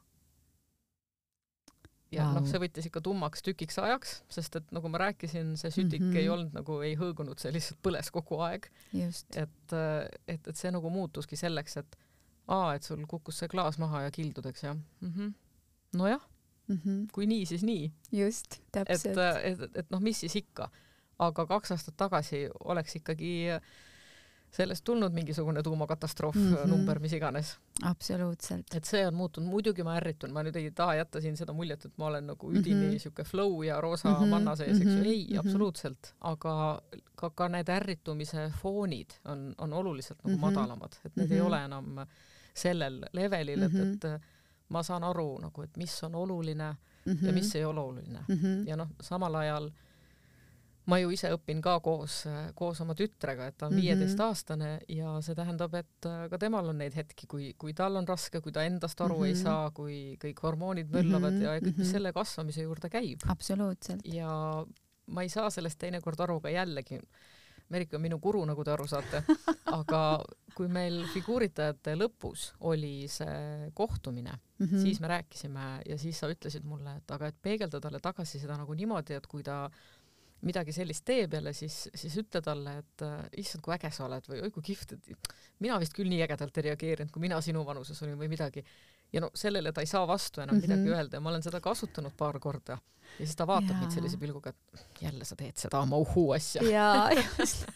Speaker 2: Ja wow. noh, see võttis ikka tummaks tükiks ajaks, sest et nagu ma rääkisin, see sütik mm -hmm. ei olnud nagu, ei hõõgunud, see lihtsalt põles kogu aeg.
Speaker 1: Just.
Speaker 2: Et, et, et see nagu muutuski selleks, et aa, et sul kukkus see klaas maha ja kildudeks ja mm -hmm. nojah. Mm -hmm. Kui nii, siis nii.
Speaker 1: Just, täpselt.
Speaker 2: Et, et, et, et noh, mis siis ikka. Aga kaks aastat tagasi oleks ikkagi sellest tulnud mingisugune tuumakatastroof mm -hmm. number, mis iganes.
Speaker 1: Absoluutselt.
Speaker 2: Et see on muutunud. Muidugi ma ärritun. Ma nüüd ei taha jätta siin seda muljet, et ma olen nagu üdini mm -hmm. siuke flow ja roosa mm -hmm. manna sees, eks ju. Ei, mm -hmm. absoluutselt. Aga ka, ka need ärritumise foonid on, on oluliselt nagu mm -hmm. madalamad. Et need mm -hmm. ei ole enam sellel levelil, mm -hmm. et, et ma saan aru, nagu, et mis on oluline mm -hmm. ja mis ei ole oluline. Mm -hmm. Ja noh, samal ajal ma ju ise õpin ka koos, koos oma tütrega, et ta on viieteistaastane ja see tähendab, et ka temal on neid hetki, kui, kui tal on raske, kui ta endast aru mm -hmm. ei saa, kui kõik hormoonid möllavad mm -hmm. ja kõik, mis selle kasvamise juurde käib.
Speaker 1: Absoluutselt.
Speaker 2: Ja ma ei saa sellest teinekord aru ka jällegi. Merike on minu guru, nagu te aru saate. Aga kui meil figuuritajate lõpus oli see kohtumine, mm -hmm. siis me rääkisime ja siis sa ütlesid mulle, et aga et peegelda talle tagasi seda nagu niimoodi, et kui ta midagi sellist teeb jälle, siis, siis ütle talle, et äh, issand, kui äge sa oled või oi, kui kihvt, et mina vist küll nii ägedalt ei reageerinud, kui mina sinu vanuses olin või midagi. Ja no sellele ta ei saa vastu enam mm -hmm. midagi öelda ja ma olen seda kasutanud paar korda. Ja siis ta vaatab ja. Mind sellise pilguga, et jälle sa teed seda oma uhuu asja.
Speaker 1: Jaa, just.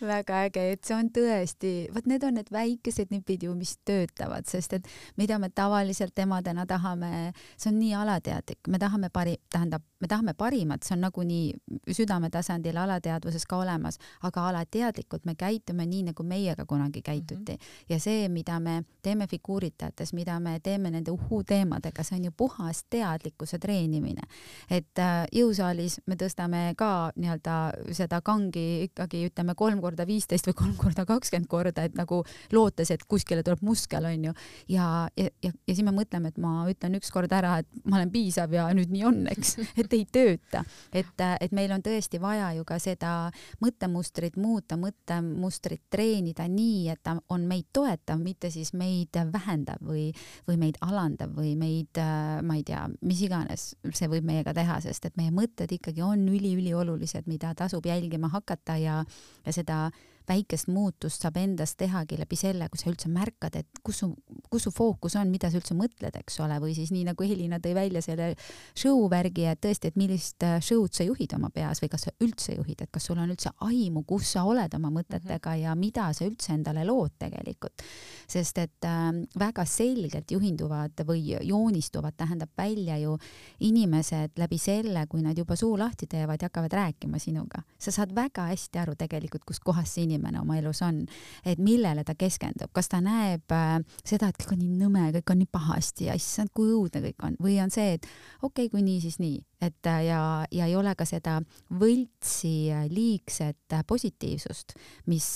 Speaker 1: Väga äge, et see on tõesti, vaat need on need väikesed nipid ju, mis töötavad, sest et mida me tavaliselt emadena tahame, see on nii alateadlik, me tahame pari, tähendab, me tahame parimat, see on nagunii südametasandil alateadvuses ka olemas, aga alateadlikult me käitume nii, nagu meiega kunagi käituti. Mm -hmm. Ja see, mida me teeme figuuritajates, mida me teeme nende uhuu teemadega, see on ju puhas teadlikkuse treenimine. Et äh, jõusaalis me tõstame ka nii-öelda seda kangi ikkagi ütleme kolm korda viisteist või kolm korda kakskümmend korda, et nagu lootes, et kuskile tuleb muskel, on ju. Ja, ja, ja, ja siis me mõtleme, et ma ütlen üks kord ära, et ma olen piisav ja nüüd nii on, eks, et ei tööta. Et, et meil on tõesti vaja ju ka seda mõttemustrit muuta, mõttemustrit treenida nii, et ta on meid toetav, mitte siis meid vähendav või, või meid alandav või meid, ma ei tea, mis iganes see võib meiega teha, sest et meie mõtted ikkagi on üli-üliolulised, mida tasub jälgima hakata ja ja seda väikest muutust saab endast tehagi läbi selle, kui sa üldse märkad, et kus su, kus su fookus on, mida sa üldse mõtled, eks ole, või siis nii nagu Helina tõi välja selle show värgi, et tõesti, et millist show'd sa juhid oma peas või kas sa üldse juhid, et kas sul on üldse aimu, kus sa oled oma mõtetega ja mida sa üldse endale lood tegelikult. Sest et äh, väga selgelt juhinduvad või joonistuvad, tähendab välja ju inimesed läbi selle, kui nad juba suu lahti teevad ja hakkavad rääkima sinuga. Sa saad väga hästi aru tegelikult, kus kohas see inimene oma elus on, et millele ta keskendub, kas ta näeb äh, seda, et kõik on nii nõme, kõik on nii pahasti ja issand, kui õudne kõik on, või on see, et okei okay,, kui nii, siis nii. et ja, ja ei ole ka seda võltsi liigset positiivsust, mis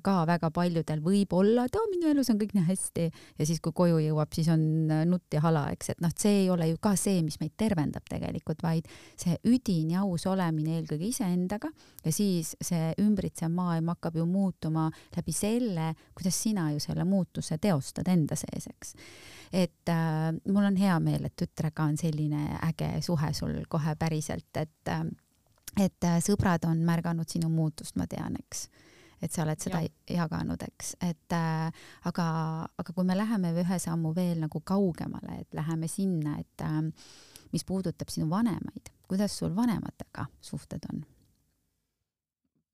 Speaker 1: ka väga paljudel võib olla, et oh, minu elus on kõik nii hästi ja siis kui koju jõuab, siis on nutt ja hala, eks, et noh, see ei ole ju ka see, mis meid tervendab tegelikult, vaid see üdin ja aus olemine eelkõige iseendaga ja siis see ümbritsev maailm hakkab ju muutuma läbi selle, kuidas sina ju selle muutuse teostad enda sees, eks. Et äh, mul on hea meel, et tütrega on selline äge suhe sul kohe päriselt, et, et sõbrad on märganud sinu muutust, ma tean, eks. Et sa oled seda ja. jaganud, eks. Et, äh, aga, aga kui me läheme ühe sammu veel nagu kaugemale, et läheme sinna, et äh, mis puudutab sinu vanemaid, kuidas sul vanematega suhted on?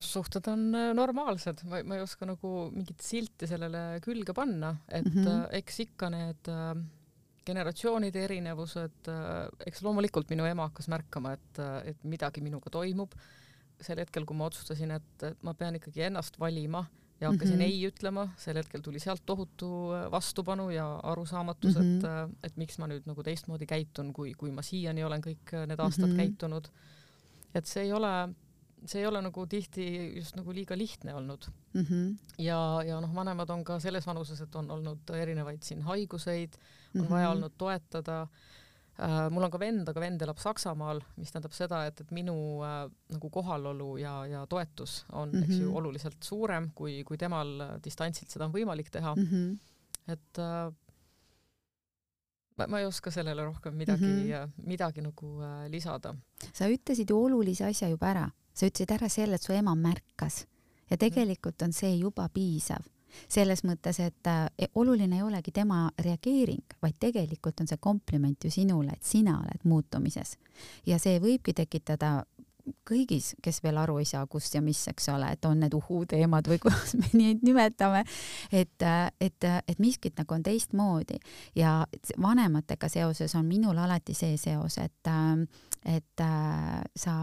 Speaker 2: Suhted on normaalsed, ma, ma ei oska nagu mingit silti sellele külge panna, et mm -hmm. eks ikka need äh, generatsioonide erinevused, äh, eks loomulikult minu ema hakkas märkama, et, et midagi minuga toimub. Sel hetkel, kui ma otsustasin, et, et ma pean ikkagi ennast valima ja hakkasin mm -hmm. ei ütlema, sel hetkel tuli sealt tohutu vastupanu ja arusaamatus, mm -hmm. et, et miks ma nüüd nagu teistmoodi käitun, kui, kui ma siiani olen kõik need aastad mm -hmm. käitunud. Et see ei ole see ei ole nagu tihti just nagu liiga lihtne olnud. Mm -hmm. Ja, ja noh, vanemad on ka selles vanuses, et on olnud erinevaid siin haiguseid, on mm -hmm. vaja olnud toetada. Äh, mul on ka vend, aga vend elab Saksamaal, mis tähendab seda, et, et minu äh, nagu kohalolu ja, ja toetus on mm -hmm. eks ju oluliselt suurem, kui, kui temal distantsilt seda on võimalik teha. Mm -hmm. Et äh, ma, ma ei oska sellele rohkem midagi, mm -hmm. midagi nagu äh, lisada.
Speaker 1: Sa ütlesid ju olulise asja juba ära. Sa ütlesid ära selle, et su ema märkas ja tegelikult on see juba piisav. Selles mõttes, et äh, oluline ei olegi tema reageering, vaid tegelikult on see kompliment ju sinule, et sina oled muutumises. Ja see võibki tekitada kõigis, kes veel aru ei saa, kus ja mis, eks ole, et on need uhuu teemad või kuidas me nii nimetame, et, et, et miskit nagu on teistmoodi. Ja vanematega seoses on minul alati see seos, et, et sa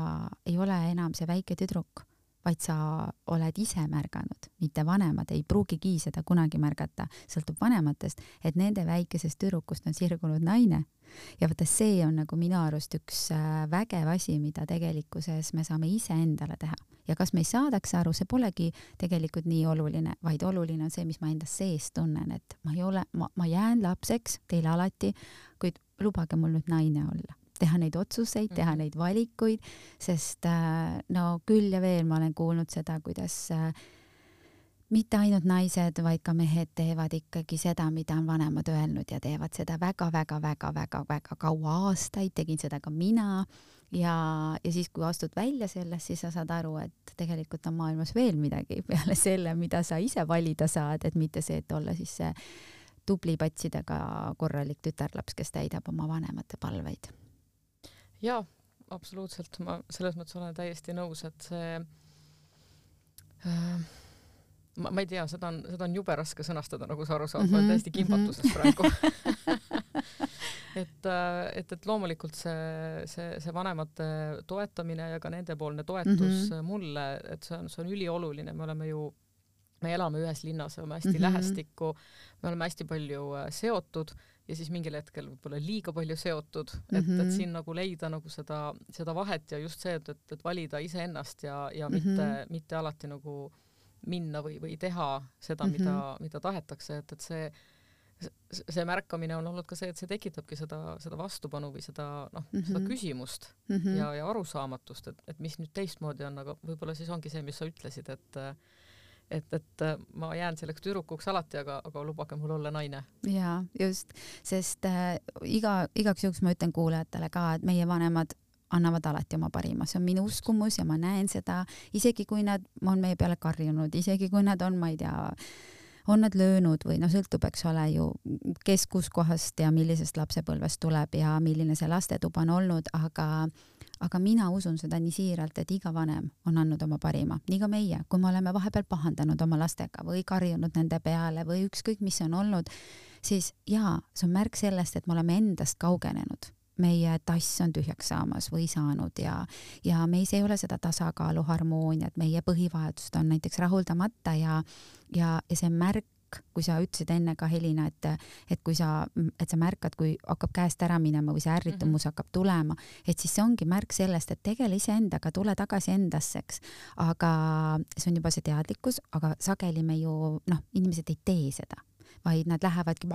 Speaker 1: ei ole enam see väike tüdruk, vaid sa oled ise märganud, mitte vanemad ei pruugigi seda kunagi märgata, sõltub vanematest, et nende väikesest tüdrukust on sirgunud naine. Ja võtta see on nagu minu arust üks vägev asi, mida tegelikkuses me saame ise endale teha. Ja kas me ei saadaks aru, see polegi tegelikult nii oluline, vaid oluline on see, mis ma enda sees tunnen, et ma ei ole, ma, ma jään lapseks teile alati, kuid lubage mul nüüd naine olla. Teha neid otsuseid, teha neid valikuid, sest no küll ja veel ma olen kuulnud seda, kuidas mitte ainult naised, vaid ka mehed teevad ikkagi seda, mida on vanemad öelnud ja teevad seda väga-väga-väga-väga-väga kaua aastaid, tegin seda ka mina ja, ja siis, kui astud välja sellest, siis sa saad aru, et tegelikult on maailmas veel midagi peale selle, mida sa ise valida saad, et mitte see, et olla siis see tubli patsidega korralik tütarlaps, kes täidab oma vanemate palveid.
Speaker 2: Jaa, absoluutselt. Ma selles mõttes olen täiesti nõus, et see äh, ma, ma ei tea, seda on, seda on jube raske sõnastada, nagu sa aru saad, mm -hmm. ma olen täiesti kimbatuses praegu. et, et, et loomulikult see, see, see vanemate toetamine ja ka nendepoolne toetus mm -hmm. mulle, et see on, see on ülioluline, me oleme ju me elame ühes linnas, oleme hästi mm -hmm. lähestikku, me oleme hästi palju seotud ja siis mingil hetkel võib-olla liiga palju seotud, et, mm -hmm. et siin nagu leida nagu seda, seda vahet ja just see, et, et, et valida iseennast ja, ja mm -hmm. mitte, mitte alati nagu minna või, või teha seda, mm -hmm. mida, mida tahetakse, et, et see, see märkamine on olnud ka see, et see tekitabki seda, seda vastupanu või seda, noh, mm -hmm. seda küsimust mm -hmm. ja, ja arusaamatust, et, et mis nüüd teistmoodi on, aga võib-olla siis ongi see, mis sa ütlesid, et et, et ma jään selleks tüdrukuks alati, aga, aga lubage mul olla naine.
Speaker 1: Jaa, just, sest äh, iga, igaks juhuks ma ütlen kuulajatele ka, et meie vanemad annavad alati oma parima, see on minu uskumus ja ma näen seda, isegi kui nad on meie peale karjunud, isegi kui nad on, ma ei tea, on nad löönud või noh, sõltub, eks ole ju, kes kuskohast ja millisest lapsepõlvest tuleb ja milline see lastetuba on olnud, aga aga mina usun seda nii siiralt, et iga vanem on andnud oma parima, nii ka meie, kui me oleme vahepeal pahandanud oma lastega või karjunud nende peale või ükskõik, mis on olnud, siis jaa, see on märk sellest, et me oleme endast kaugenenud. Meie tass on tühjaks saamas või saanud ja, ja meis ei ole seda tasakaalu, harmooniat, meie põhivajadused on näiteks rahuldamata ja, ja, ja see märk märk, kui sa ütlesid enne ka Helina, et, et kui sa, et sa märkad, kui hakkab käest ära minema või see ärritumus mm -hmm. hakkab tulema, et siis see ongi märk sellest, et tegele iseendaga, tule tagasi endasseks. Aga see on juba see teadlikkus, aga sageli me ju, noh, inimesed ei tee seda, vaid nad lähevadki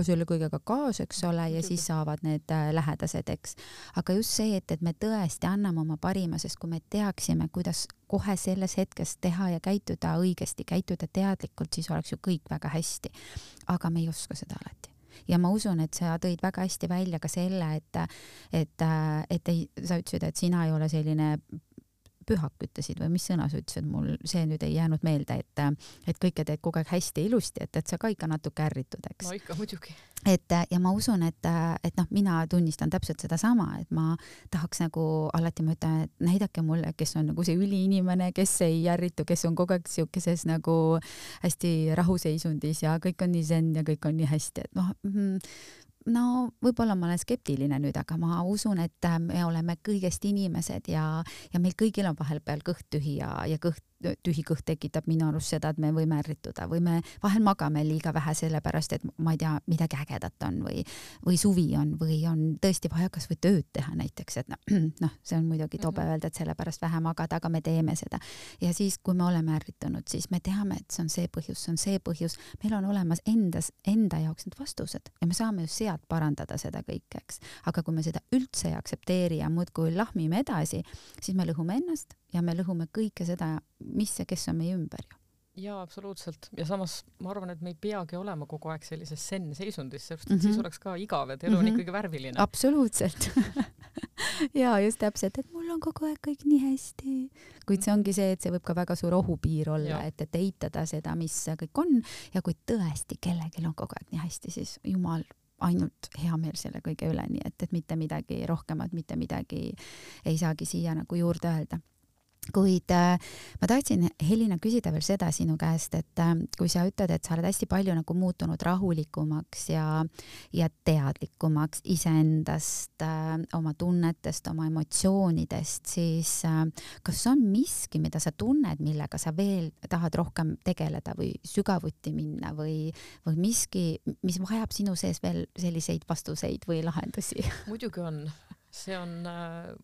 Speaker 1: selle kõigega kaasa, eks ole, ja siis saavad need lähedased, eks. Aga just see, et, et me tõesti anname oma parima, sest kui me teaksime, kuidas kohe selles hetkes teha ja käituda õigesti, käituda teadlikult, siis oleks ju kõik väga hästi. Aga me ei oska seda alati. Ja ma usun, et sa tõid väga hästi välja ka selle, et, et, et ei, sa ütlesid, et sina ei ole selline pühak, ütlesid või mis sõna sa ütlesid, mul see nüüd ei jäänud meelde, et, et kõike teed kogu aeg hästi ilusti, et, et sa ka ikka natuke ärritud, eks.
Speaker 2: No ikka, muidugi.
Speaker 1: Et, ja ma usun, et, et noh, mina tunnistan täpselt seda sama, et ma tahaks nagu alati, ma ütlen, et näidake mulle, kes on nagu see üliinimene, kes ei ärritu, kes on kogu aeg siukeses nagu hästi rahuseisundis ja kõik on nii zen ja kõik on nii hästi, et noh, no võib-olla ma olen skeptiline nüüd, aga ma usun, et me oleme kõigest inimesed ja, ja meil kõigil on vahepeal kõht tühi ja, ja kõht tühi kõht tekitab minu arust seda, et me võime ärrituda või me vahel magame liiga vähe sellepärast, et ma ei tea, midagi ägedat on või, või suvi on või on tõesti vaja kas või tööd teha näiteks, et noh, no, see on muidugi tobe öelda, et sellepärast vähe magada, aga me teeme seda. Ja siis, kui me oleme ärritunud, siis me teame, et see on see põhjus, see on see põhjus. Meil on olemas endas, enda jaoks need vastused ja me saame ju sealt parandada seda kõike, eks. Aga kui me seda üldse ei aktsepteeri ja muudkui lahmime edasi, siis me lõhume ennast ja me lõhume kõike seda, mis ja kes on meie ümber ju.
Speaker 2: Jaa, absoluutselt. Ja samas ma arvan, et me ei peagi olema kogu aeg sellises sen seisundis, sest
Speaker 1: mm -hmm.
Speaker 2: siis oleks ka igav, et elu on mm -hmm. ikkagi värviline.
Speaker 1: Absoluutselt. ja just täpselt, et mul on kogu aeg kõik nii hästi. Kuid see ongi see, et see võib ka väga suur ohupiir olla, et, et eitada seda, mis kõik on ja kui tõesti kellelgi on kogu aeg nii hästi, siis jumal ainult hea meel selle kõige üle, nii et, et mitte midagi rohkemat, mitte midagi ei saagi siia nagu juurde öelda. Kuid äh, ma tahtsin Helina küsida veel seda sinu käest, et äh, kui sa ütled, et sa oled hästi palju nagu muutunud rahulikumaks ja, ja teadlikumaks iseendast, äh, oma tunnetest, oma emotsioonidest, siis äh, kas on miski, mida sa tunned, millega sa veel tahad rohkem tegeleda või sügavuti minna või, või miski, mis vajab sinu sees veel selliseid vastuseid või lahendusi?
Speaker 2: Muidugi on. See on... Äh...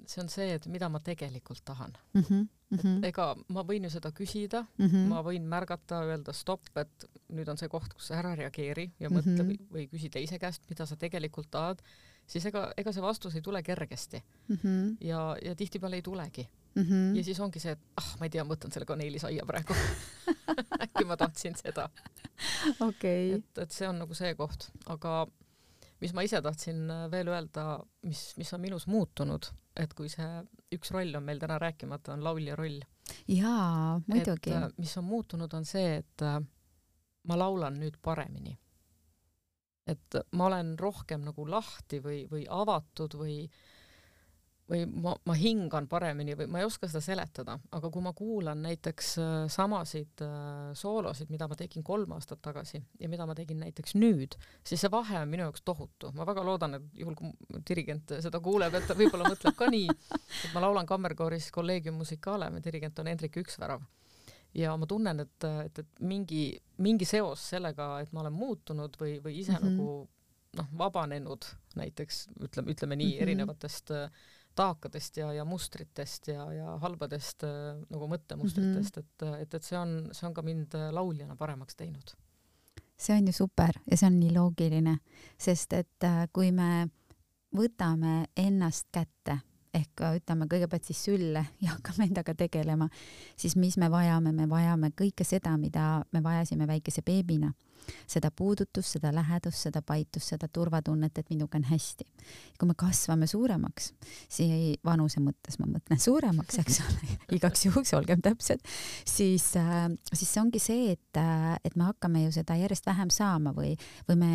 Speaker 2: see on see, et mida ma tegelikult tahan.
Speaker 1: Mm -hmm, mm -hmm.
Speaker 2: Ega ma võin ju seda küsida, mm -hmm. ma võin märgata, öelda stopp, et nüüd on see koht, kus sa ära reageeri ja mõtle mm -hmm. või, või küsi teise käest, mida sa tegelikult tahad, siis ega, ega see vastus ei tule kergesti. Mm -hmm. Ja, ja tihtipeale ei tulegi. Mm -hmm. Ja siis ongi see, et ah, ma ei tea, mõtlen selle kaneelisaia praegu. Äkki ma tahtsin seda.
Speaker 1: Okay.
Speaker 2: Et, et see on nagu see koht. Aga mis ma ise tahtsin veel öelda, mis, mis on minus muutunud, et kui see üks roll on meil täna rääkimata, on laulja roll.
Speaker 1: Jaa, muidugi.
Speaker 2: Et mis on muutunud, on see, et ma laulan nüüd paremini. Et ma olen rohkem nagu lahti või, või avatud või, või ma, ma hingan paremini või ma ei oska seda seletada, aga kui ma kuulan näiteks samasid soolosid, mida ma tegin kolm aastat tagasi ja mida ma tegin näiteks nüüd, siis see vahe on minu jaoks tohutu. Ma väga loodan, et juhul kui dirigent seda kuuleb, et ta võib-olla mõtleb ka nii, et ma laulan kammerkooris Collegium Musicale, dirigent on Hendrik Üksvärav. Ja ma tunnen, et, et, et mingi, mingi seos sellega, et ma olen muutunud või, või ise mm -hmm. nagu noh, vabanenud näiteks, ütleme, ütleme nii, mm -hmm. erinevatest taakadest ja, ja mustritest ja, ja halbadest nagu mõttemustritest, mm-hmm. et, et, et see on, see on ka mind lauljana paremaks teinud.
Speaker 1: See on ju super ja see on nii loogiline, sest et kui me võtame ennast kätte, ehk ütleme kõigepealt siis sülle ja hakkame endaga tegelema, siis mis me vajame, me vajame kõike seda, mida me vajasime väikese beebina. Seda puudutust, seda lähedust, seda paitust, seda turvatunnet, et minuga on hästi. Kui me kasvame suuremaks, siis vanuse mõttes ma mõtlen suuremaks, eks ole, igaks juhuks olgem täpsed, siis, äh, siis see ongi see, et, et me hakkame ju seda järjest vähem saama või, või me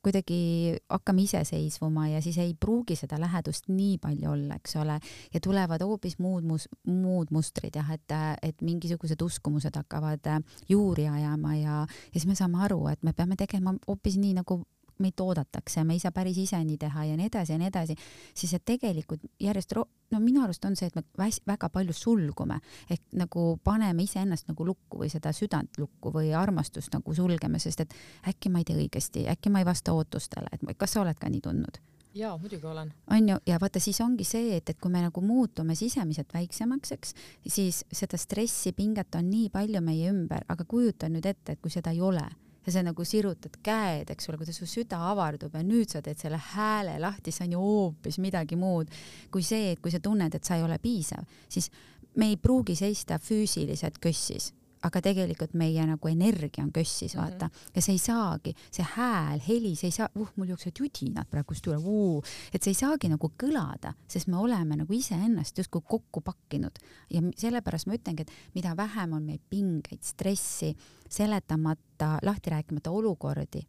Speaker 1: kuidagi hakkame iseseisvuma ja siis ei pruugi seda lähedust nii palju olla, eks ole, ja tulevad hoopis muud, mus, muud mustrid, jah, et, et mingisugused uskumused hakkavad juuri ajama ja, ja siis me saame aru, et me peame tegema hoopis nii, nagu meid toodatakse ja me ei saa päris ise nii teha ja nii edasi ja nii edasi, siis et tegelikult järjest, ro- no minu arust on see, et me väs- väga palju sulgume, ehk nagu paneme ise ennast nagu lukku või seda südant lukku või armastust nagu sulgeme, sest et äkki ma ei tee õigesti, äkki ma ei vasta ootustele, et kas sa oled ka nii tundnud?
Speaker 2: Jaa, muidugi olen.
Speaker 1: On ju, ja vaata, siis ongi see, et, et kui me nagu muutume sisemiselt väiksemaks, eks, siis seda stressi, pinget on nii palju meie ümber, aga kujuta nüüd ette, et kui seda ei ole, ja sa nagu sirutad käed, eks ole, kuidas su süda avardub ja nüüd sa teed selle hääle lahti, see on ju hoopis midagi muud kui see, et kui sa tunned, et sa ei ole piisav, siis me ei pruugi seista füüsiliselt kössis, aga tegelikult meie nagu energia on kössis, vaata, mm-hmm. ja see ei saagi, see hääl, heli, see ei saa, uh, mul jooksevad judinad praegust üle, uh, et see ei saagi nagu kõlada, sest me oleme nagu ise ennast justkui kokku pakkinud ja sellepärast ma ütlengi, et mida vähem on meil pingeid, stressi, seletamata, lahti rääkimata olukordi,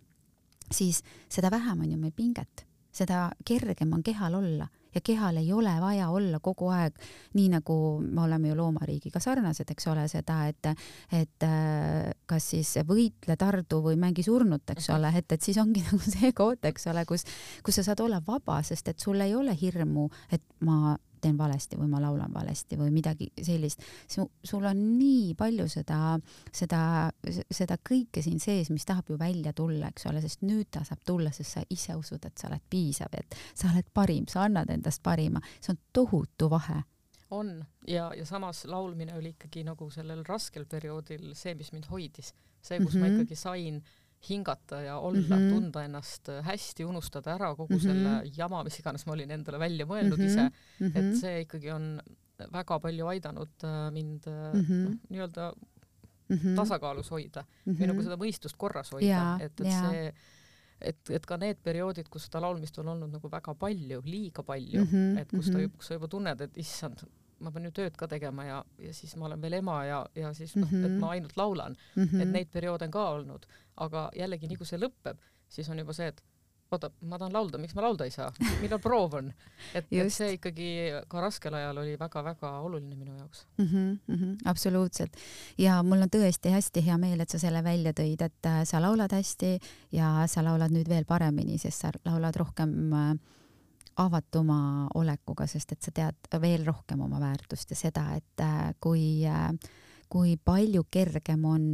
Speaker 1: siis seda vähem on ju meil pinget, seda kergem on kehal olla. Ja kehal ei ole vaja olla kogu aeg, nii nagu me oleme ju loomariigiga sarnased, eks ole, seda, et, et kas siis võitle, tardu või mängi surnut, eks ole, et, et siis ongi nagu see koht, eks ole, kus, kus sa saad olla vaba, sest et sul ei ole hirmu, et ma teen valesti või ma laulan valesti või midagi sellist. Sul on nii palju seda, seda, seda kõike siin sees, mis tahab ju välja tulla, eks ole, sest nüüd ta saab tulla, sest sa ise usud, et sa oled piisav, et sa oled parim, sa annad endast parima. See on tohutu vahe.
Speaker 2: On ja, ja samas laulmine oli ikkagi nagu sellel raskel perioodil see, mis mind hoidis. See, kus mm-hmm. ma ikkagi sain hingata ja olla, mm-hmm. tunda ennast hästi, unustada ära kogu mm-hmm. selle jama, mis iganes ma olin endale välja mõelnud mm-hmm. ise, mm-hmm. et see ikkagi on väga palju aidanud mind mm-hmm. no, nii-öelda mm-hmm. tasakaalus hoida mm-hmm. või nagu seda mõistust korras hoida, ja, et, et ja. see et, et ka need perioodid, kus seda laulmist on olnud nagu väga palju, liiga palju, mm-hmm. et kus, ta, kus sa juba tunned, et issand, ma pean ju tööd ka tegema ja, ja siis ma olen veel ema ja, ja siis noh, mm-hmm. et ma ainult laulan, mm-hmm. et neid perioode on ka olnud, aga jällegi nii kui see lõpeb, siis on juba see, et oota, ma tahan laulda, miks ma laulda ei saa, millal proov on, et, et see ikkagi ka raskel ajal oli väga-väga oluline minu jaoks.
Speaker 1: Mm-hmm, mm-hmm, absoluutselt ja mul on tõesti hästi hea meel, et sa selle välja tõid, et sa laulad hästi ja sa laulad nüüd veel paremini, sest sa laulad rohkem avatuma olekuga, sest et sa tead veel rohkem oma väärtust ja seda, et kui, kui palju kergem on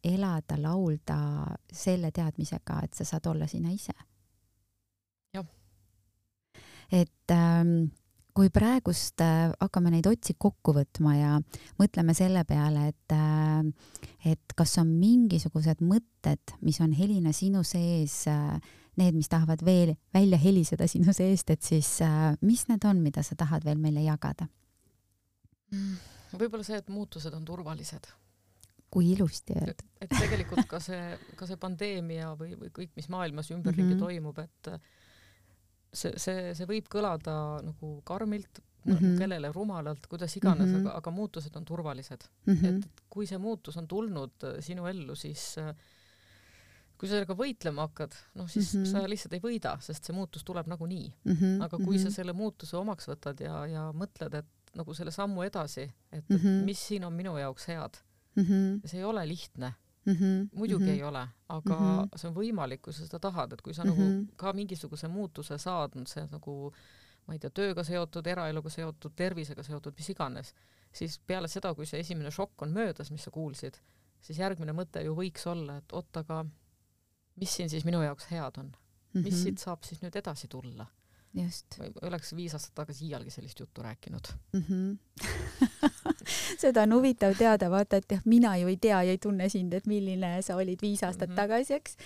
Speaker 1: elada, laulda selle teadmisega, et sa saad olla sina ise.
Speaker 2: Jah.
Speaker 1: Et ähm, kui praegust äh, hakkame neid otsi kokku võtma ja mõtleme selle peale, et, äh, et kas on mingisugused mõtted, mis on Helina sinu sees, äh, need, mis tahavad veel välja heliseda sinu seest, et siis äh, mis need on, mida sa tahad veel meile jagada?
Speaker 2: Mm, võib-olla see, et muutused on turvalised.
Speaker 1: Kui ilusti öelda.
Speaker 2: Et tegelikult ka see, ka see pandeemia või, või kõik, mis maailmas ümberringi mm-hmm. toimub, et see, see, see võib kõlada nagu karmilt, mm-hmm. kellele rumalalt, kuidas iganes, mm-hmm. aga, aga muutused on turvalised. Mm-hmm. Et kui see muutus on tulnud sinu ellu, siis kui sa sellega võitlema hakkad, noh siis mm-hmm. sa lihtsalt ei võida, sest see muutus tuleb nagunii. Mm-hmm. Aga kui mm-hmm. sa selle muutuse omaks võtad ja, ja mõtled, et nagu selle sammu edasi, et, mm-hmm. et mis siin on minu jaoks head, mm-hmm. see ei ole lihtne. Mm-hmm. Muidugi mm-hmm. ei ole, aga mm-hmm. see on võimalik, kui sa seda tahad, et kui sa mm-hmm. nagu ka mingisuguse muutuse saad, see nagu, ma ei tea, tööga seotud, eraeluga seotud, tervisega seotud, mis iganes, siis peale seda, kui see esimene šokk on möödas, mis sa kuulsid, siis järgmine mõte ju võiks olla, et oot, aga mis siin siis minu jaoks head on? Mis mm-hmm. siit saab siis nüüd edasi tulla?
Speaker 1: Just.
Speaker 2: Või oleks viis aastat tagasi iialgi sellist juttu rääkinud.
Speaker 1: Mm-hmm. Seda on huvitav teada, vaata, et mina ju ei tea ja ei tunne sind, et milline sa olid viis aastat mm-hmm. tagasi, eks.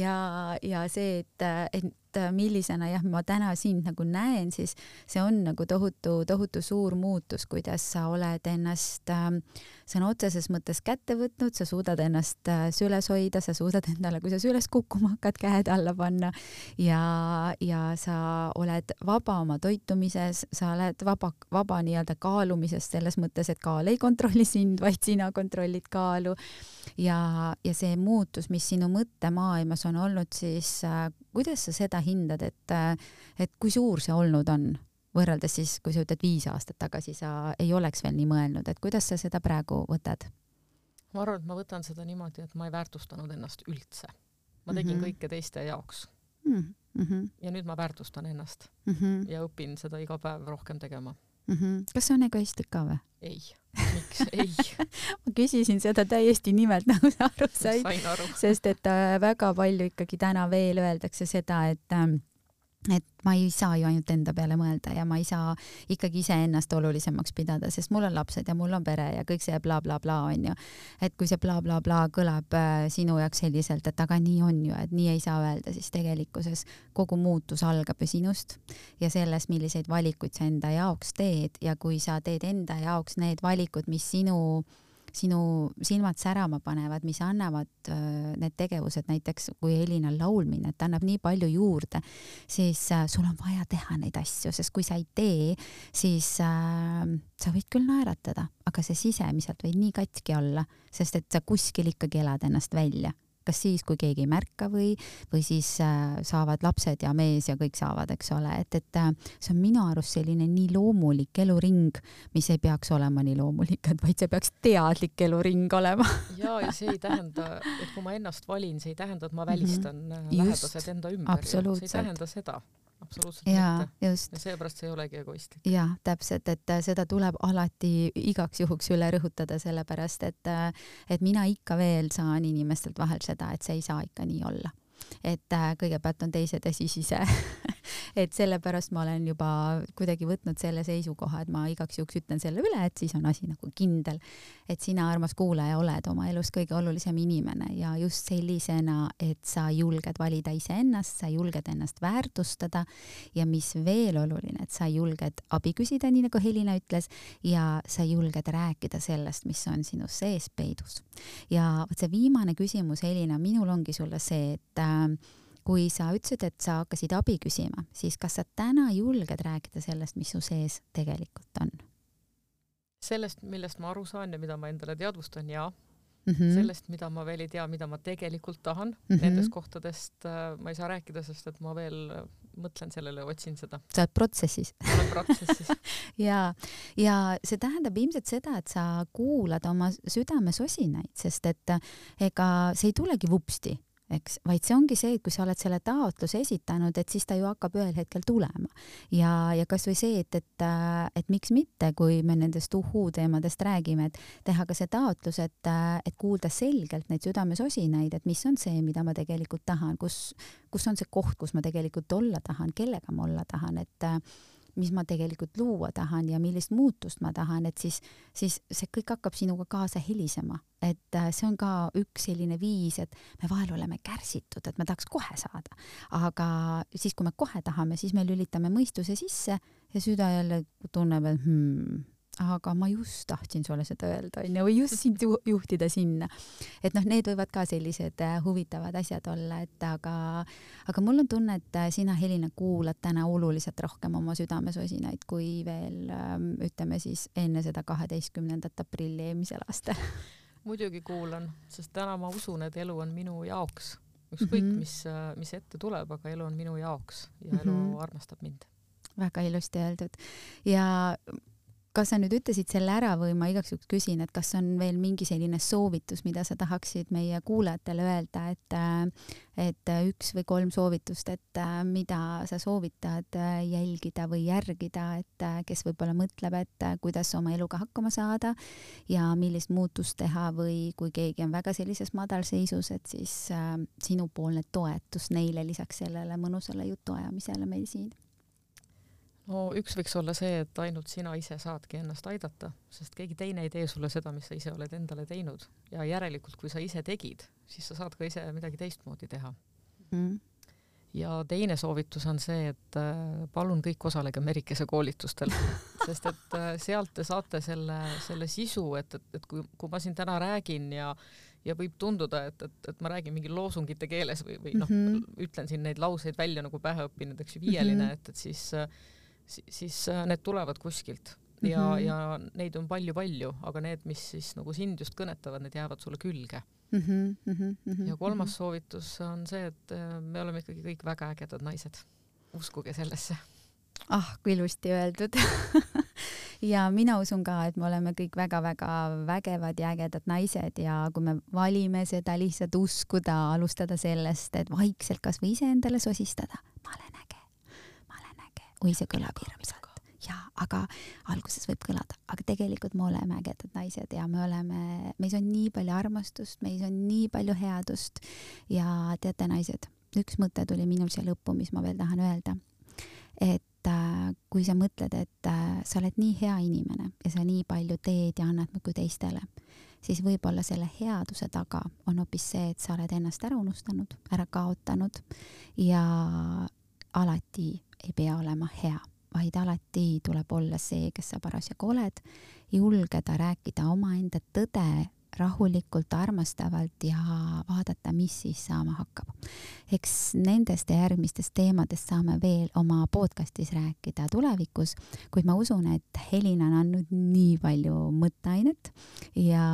Speaker 1: Ja, ja see, et, et millisena jah, ma täna sind nagu näen, siis see on nagu tohutu, tohutu suur muutus, kuidas sa oled ennast äh, sõna otseses mõttes kätte võtnud, sa suudad ennast äh, süles hoida, sa suudad endale, kui sa süles kukkuma hakkad, käed alla panna ja, ja sa oled vaba oma toitumises, sa oled vaba, vaba nii-öelda kaalumises selles mõttes, et kaal ei kontrolli sind, vaid sina kontrollid kaalu ja, ja see muutus, mis sinu mõttemaailmas on olnud, siis äh, kuidas sa seda hindad, et, et kui suur see olnud on, võrreldes siis, kui sa ütled viis aastat tagasi, sa ei oleks veel nii mõelnud, et kuidas sa seda praegu võtad?
Speaker 2: Ma arvan, et ma võtan seda niimoodi, et ma ei väärtustanud ennast üldse. Ma tegin mm-hmm. kõike teiste jaoks.
Speaker 1: mm. -hmm.
Speaker 2: ja nüüd ma väärtustan ennast
Speaker 1: mm -hmm.
Speaker 2: ja õpin seda iga päev rohkem tegema.
Speaker 1: Mm -hmm. Kas see on egoistlik ka või?
Speaker 2: Ei, miks? Ei.
Speaker 1: ma küsisin seda täiesti nimelt, nagu sa aru said.
Speaker 2: Sain aru.
Speaker 1: Sest et äh, väga palju ikkagi täna veel öeldakse seda, et äh, et ma ei saa ju ainult enda peale mõelda ja ma ei saa ikkagi iseennast olulisemaks pidada, sest mul on lapsed ja mul on pere ja kõik see blablabla bla, bla, on ju. Et kui see blablabla bla, bla kõlab äh, sinu jaoks selliselt, et aga nii on ju, et nii ei saa öelda, siis tegelikkuses kogu muutus algab ju sinust ja sellest, milliseid valikuid sa enda jaoks teed ja kui sa teed enda jaoks need valikud, mis sinu sinu silmad särama panevad, mis annavad äh, need tegevused, näiteks kui Elina laulmine, et annab nii palju juurde, siis äh, sul on vaja teha neid asju, sest kui sa ei tee, siis äh, sa võid küll naeratada, aga see sisemiselt võid nii katki olla, sest et sa kuskil ikkagi elad ennast välja. Kas siis, kui keegi ei märka või, või siis äh, saavad lapsed ja mees ja kõik saavad, eks ole, et, et äh, see on minu arust selline nii loomulik eluring, mis ei peaks olema nii loomulik, et vaid see peaks teadlik eluring olema.
Speaker 2: ja, ja see ei tähenda, et kui ma ennast valin, see ei tähenda, et ma välistan mm -hmm. lähedased enda ümber. See ei tähenda seda. Absoluutselt
Speaker 1: ja,
Speaker 2: mitte.
Speaker 1: Just.
Speaker 2: Ja seepärast see ei olegi egoistlik.
Speaker 1: Ja, täpselt, et seda tuleb alati igaks juhuks üle rõhutada, sellepärast, et, et mina ikka veel saan inimestelt vahel seda, et see ei saa ikka nii olla. Et kõigepealt on teised ja siis ise. Et sellepärast ma olen juba kuidagi võtnud selle seisukoha, et ma igaks juhuks ütlen selle üle, et siis on asi nagu kindel, et sina, armas kuulaja, oled oma elus kõige olulisem inimene ja just sellisena, et sa julged valida iseennast, sa julged ennast väärtustada ja mis veel oluline, et sa julged abi küsida, nii nagu Helina ütles, ja sa julged rääkida sellest, mis on sinu sees peidus. Ja see viimane küsimus, Helina, minul ongi sulle see, et äh, kui sa ütlesid, et sa hakkasid abi küsima, siis kas sa täna julged rääkida sellest, mis su sees tegelikult on?
Speaker 2: Sellest, millest ma aru saan ja mida ma endale teadvustan, jaa.
Speaker 1: Mm -hmm.
Speaker 2: Sellest, mida ma veel ei tea, mida ma tegelikult tahan. Mm -hmm. Nendest kohtadest äh, ma ei saa rääkida, sest et ma veel äh, mõtlen sellele, otsin seda.
Speaker 1: Sa oled protsessis.
Speaker 2: Ma olen protsessis.
Speaker 1: ja, ja see tähendab ilmselt seda, et sa kuulad oma südamesosinaid, sest et ega see ei tulegi vupsti. Eks, vaid see ongi see, et kui sa oled selle taotluse esitanud, et siis ta ju hakkab ühel hetkel tulema. Ja, ja kas või see, et, et, et miks mitte, kui me nendest uhuu teemadest räägime, et teha ka see taotlus, et, et kuulda selgelt neid südamesosinaid, et mis on see, mida ma tegelikult tahan, kus, kus on see koht, kus ma tegelikult olla tahan, kellega ma olla tahan, et mis ma tegelikult luua tahan ja millist muutust ma tahan, et siis, siis see kõik hakkab sinuga kaasa helisema. Et see on ka üks selline viis, et me vahel oleme kärsitud, et me tahaks kohe saada. Aga siis, kui me kohe tahame, siis me lülitame mõistuse sisse ja süda jälle tunneb, et hmm, aga ma just tahtsin sulle seda öelda, või just sind juhtida sinna. Et noh, need võivad ka sellised huvitavad asjad olla, et aga, aga mul on tunne, et sina, Helina, kuulad täna oluliselt rohkem oma südamesosinaid kui veel, ütleme siis, enne seda kaheteistkümnendat aprilli eelmisel aastal.
Speaker 2: Muidugi kuulan, sest täna ma usun, et elu on minu jaoks. Ükskõik, mm -hmm. mis, mis ette tuleb, aga elu on minu jaoks ja elu mm -hmm. armastab mind.
Speaker 1: Väga ilusti öeldud. Ja kas sa nüüd ütlesid selle ära või ma igaks juhuks küsin, et kas on veel mingi selline soovitus, mida sa tahaksid meie kuulajatele öelda, et, et üks või kolm soovitust, et mida sa soovitad jälgida või järgida, et kes võib-olla mõtleb, et kuidas oma eluga hakkama saada ja millist muutust teha või kui keegi on väga sellises madalseisus, et siis sinupoolne toetus neile lisaks sellele mõnusale jutuajamisele meil siin.
Speaker 2: No üks võiks olla see, et ainult sina ise saadki ennast aidata, sest keegi teine ei tee sulle seda, mis sa ise oled endale teinud. Ja järelikult, kui sa ise tegid, siis sa saad ka ise midagi teistmoodi teha. Mm. Ja teine soovitus on see, et palun kõik osalege Merikese koolitustel, sest et sealt te saate selle, selle sisu, et, et, et kui, kui ma siin täna räägin ja ja võib tunduda, et, et, et ma räägin mingi loosungite keeles või, või noh, mm -hmm. ütlen siin neid lauseid välja nagu pähe õppinud, eks ju, viieline, et, et siis siis need tulevad kuskilt ja, mm -hmm. ja neid on palju-palju, aga need, mis siis nagu sind just kõnetavad, need jäävad sulle külge. Mm -hmm, mm -hmm, ja kolmas mm -hmm. soovitus on see, et me oleme ikkagi kõik väga ägedad naised. Uskuge sellesse.
Speaker 1: Ah, kui ilusti öeldud. ja mina usun ka, et me oleme kõik väga-väga vägevad ja ägedad naised ja kui me valime seda lihtsalt uskuda, alustada sellest, et vaikselt kas või ise endale sosistada, ma olen äge, ma olen äge, oi see kõlab hirmsalt. Ja, aga alguses võib kõlada, aga tegelikult me oleme ägedad naised ja me oleme, meis on nii palju armastust, meis on nii palju headust ja teate naised, üks mõte tuli minul siia lõppu, mis ma veel tahan öelda, et äh, kui sa mõtled, et äh, sa oled nii hea inimene ja sa nii palju teed ja annad muidu teistele, siis võib-olla selle headuse taga on hoopis see, et sa oled ennast ära unustanud, ära kaotanud ja alati ei pea olema hea, vaid alati tuleb olla see, kes sa parasjagu oled, julgeda rääkida omaenda tõde rahulikult, armastavalt ja vaadata, mis siis saama hakkab. Eks nendest ja järgmistest teemadest saame veel oma podcastis rääkida tulevikus, kuid ma usun, et Helina on andnud nii palju mõtteainet ja,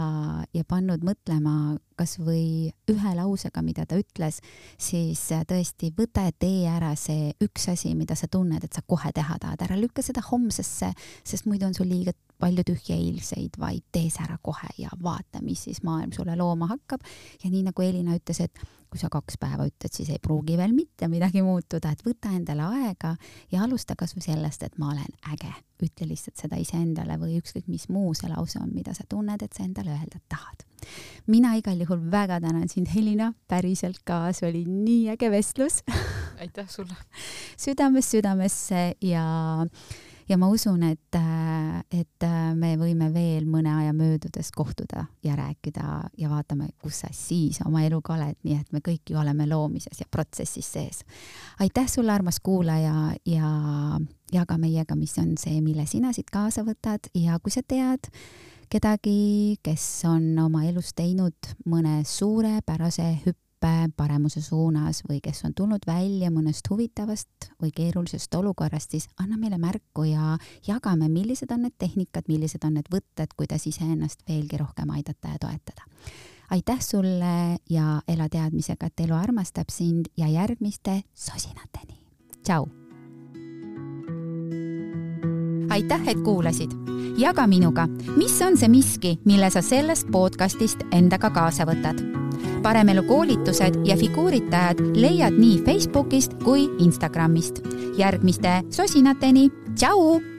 Speaker 1: ja pannud mõtlema kas või ühe lausega, mida ta ütles, siis tõesti võta ja tee ära see üks asi, mida sa tunned, et sa kohe teha tahad, ära lükka seda homsesse, sest muidu on sul liiga palju tühja eilseid, vaid tee see ära kohe ja vaata, mis siis maailm sulle looma hakkab. Ja nii nagu Elina ütles, et kui sa kaks päeva ütled, siis ei pruugi veel mitte midagi muutuda, et võta endale aega ja alusta kas või sellest, et ma olen äge. Ütle lihtsalt seda iseendale või ükskõik mis muu see lause on, mida sa tunned, et sa endale öelda tahad. Mina igal juhul väga tänan sind, Helina, päriselt ka, see oli nii äge vestlus.
Speaker 2: Aitäh sulle.
Speaker 1: Südames südamesse ja Ja ma usun, et, et me võime veel mõne aja möödudes kohtuda ja rääkida ja vaatame, kus sa siis oma eluga oled, nii et me kõik ju oleme loomises ja protsessis sees. Aitäh sulle, armas kuulaja, ja jaga meiega, mis on see, mille sina siit kaasa võtad ja kui sa tead kedagi, kes on oma elus teinud mõne suure pärase hüppe paremuse suunas või kes on tulnud välja mõnest huvitavast või keerulisest olukorrast, siis anna meile märku ja jagame, millised on need tehnikad, millised on need võtted, kuidas iseennast veelgi rohkem aidata ja toetada. Aitäh sulle ja ela teadmisega, et elu armastab sind ja järgmiste sosinateni. Tšau! Aitäh, et kuulasid! Jaga minuga, mis on see miski, mille sa sellest podcastist endaga kaasa võtad. Paremelu koolitused ja figuuritajad leiad nii Facebookist kui Instagramist. Järgmiste sosinateni. Tšau!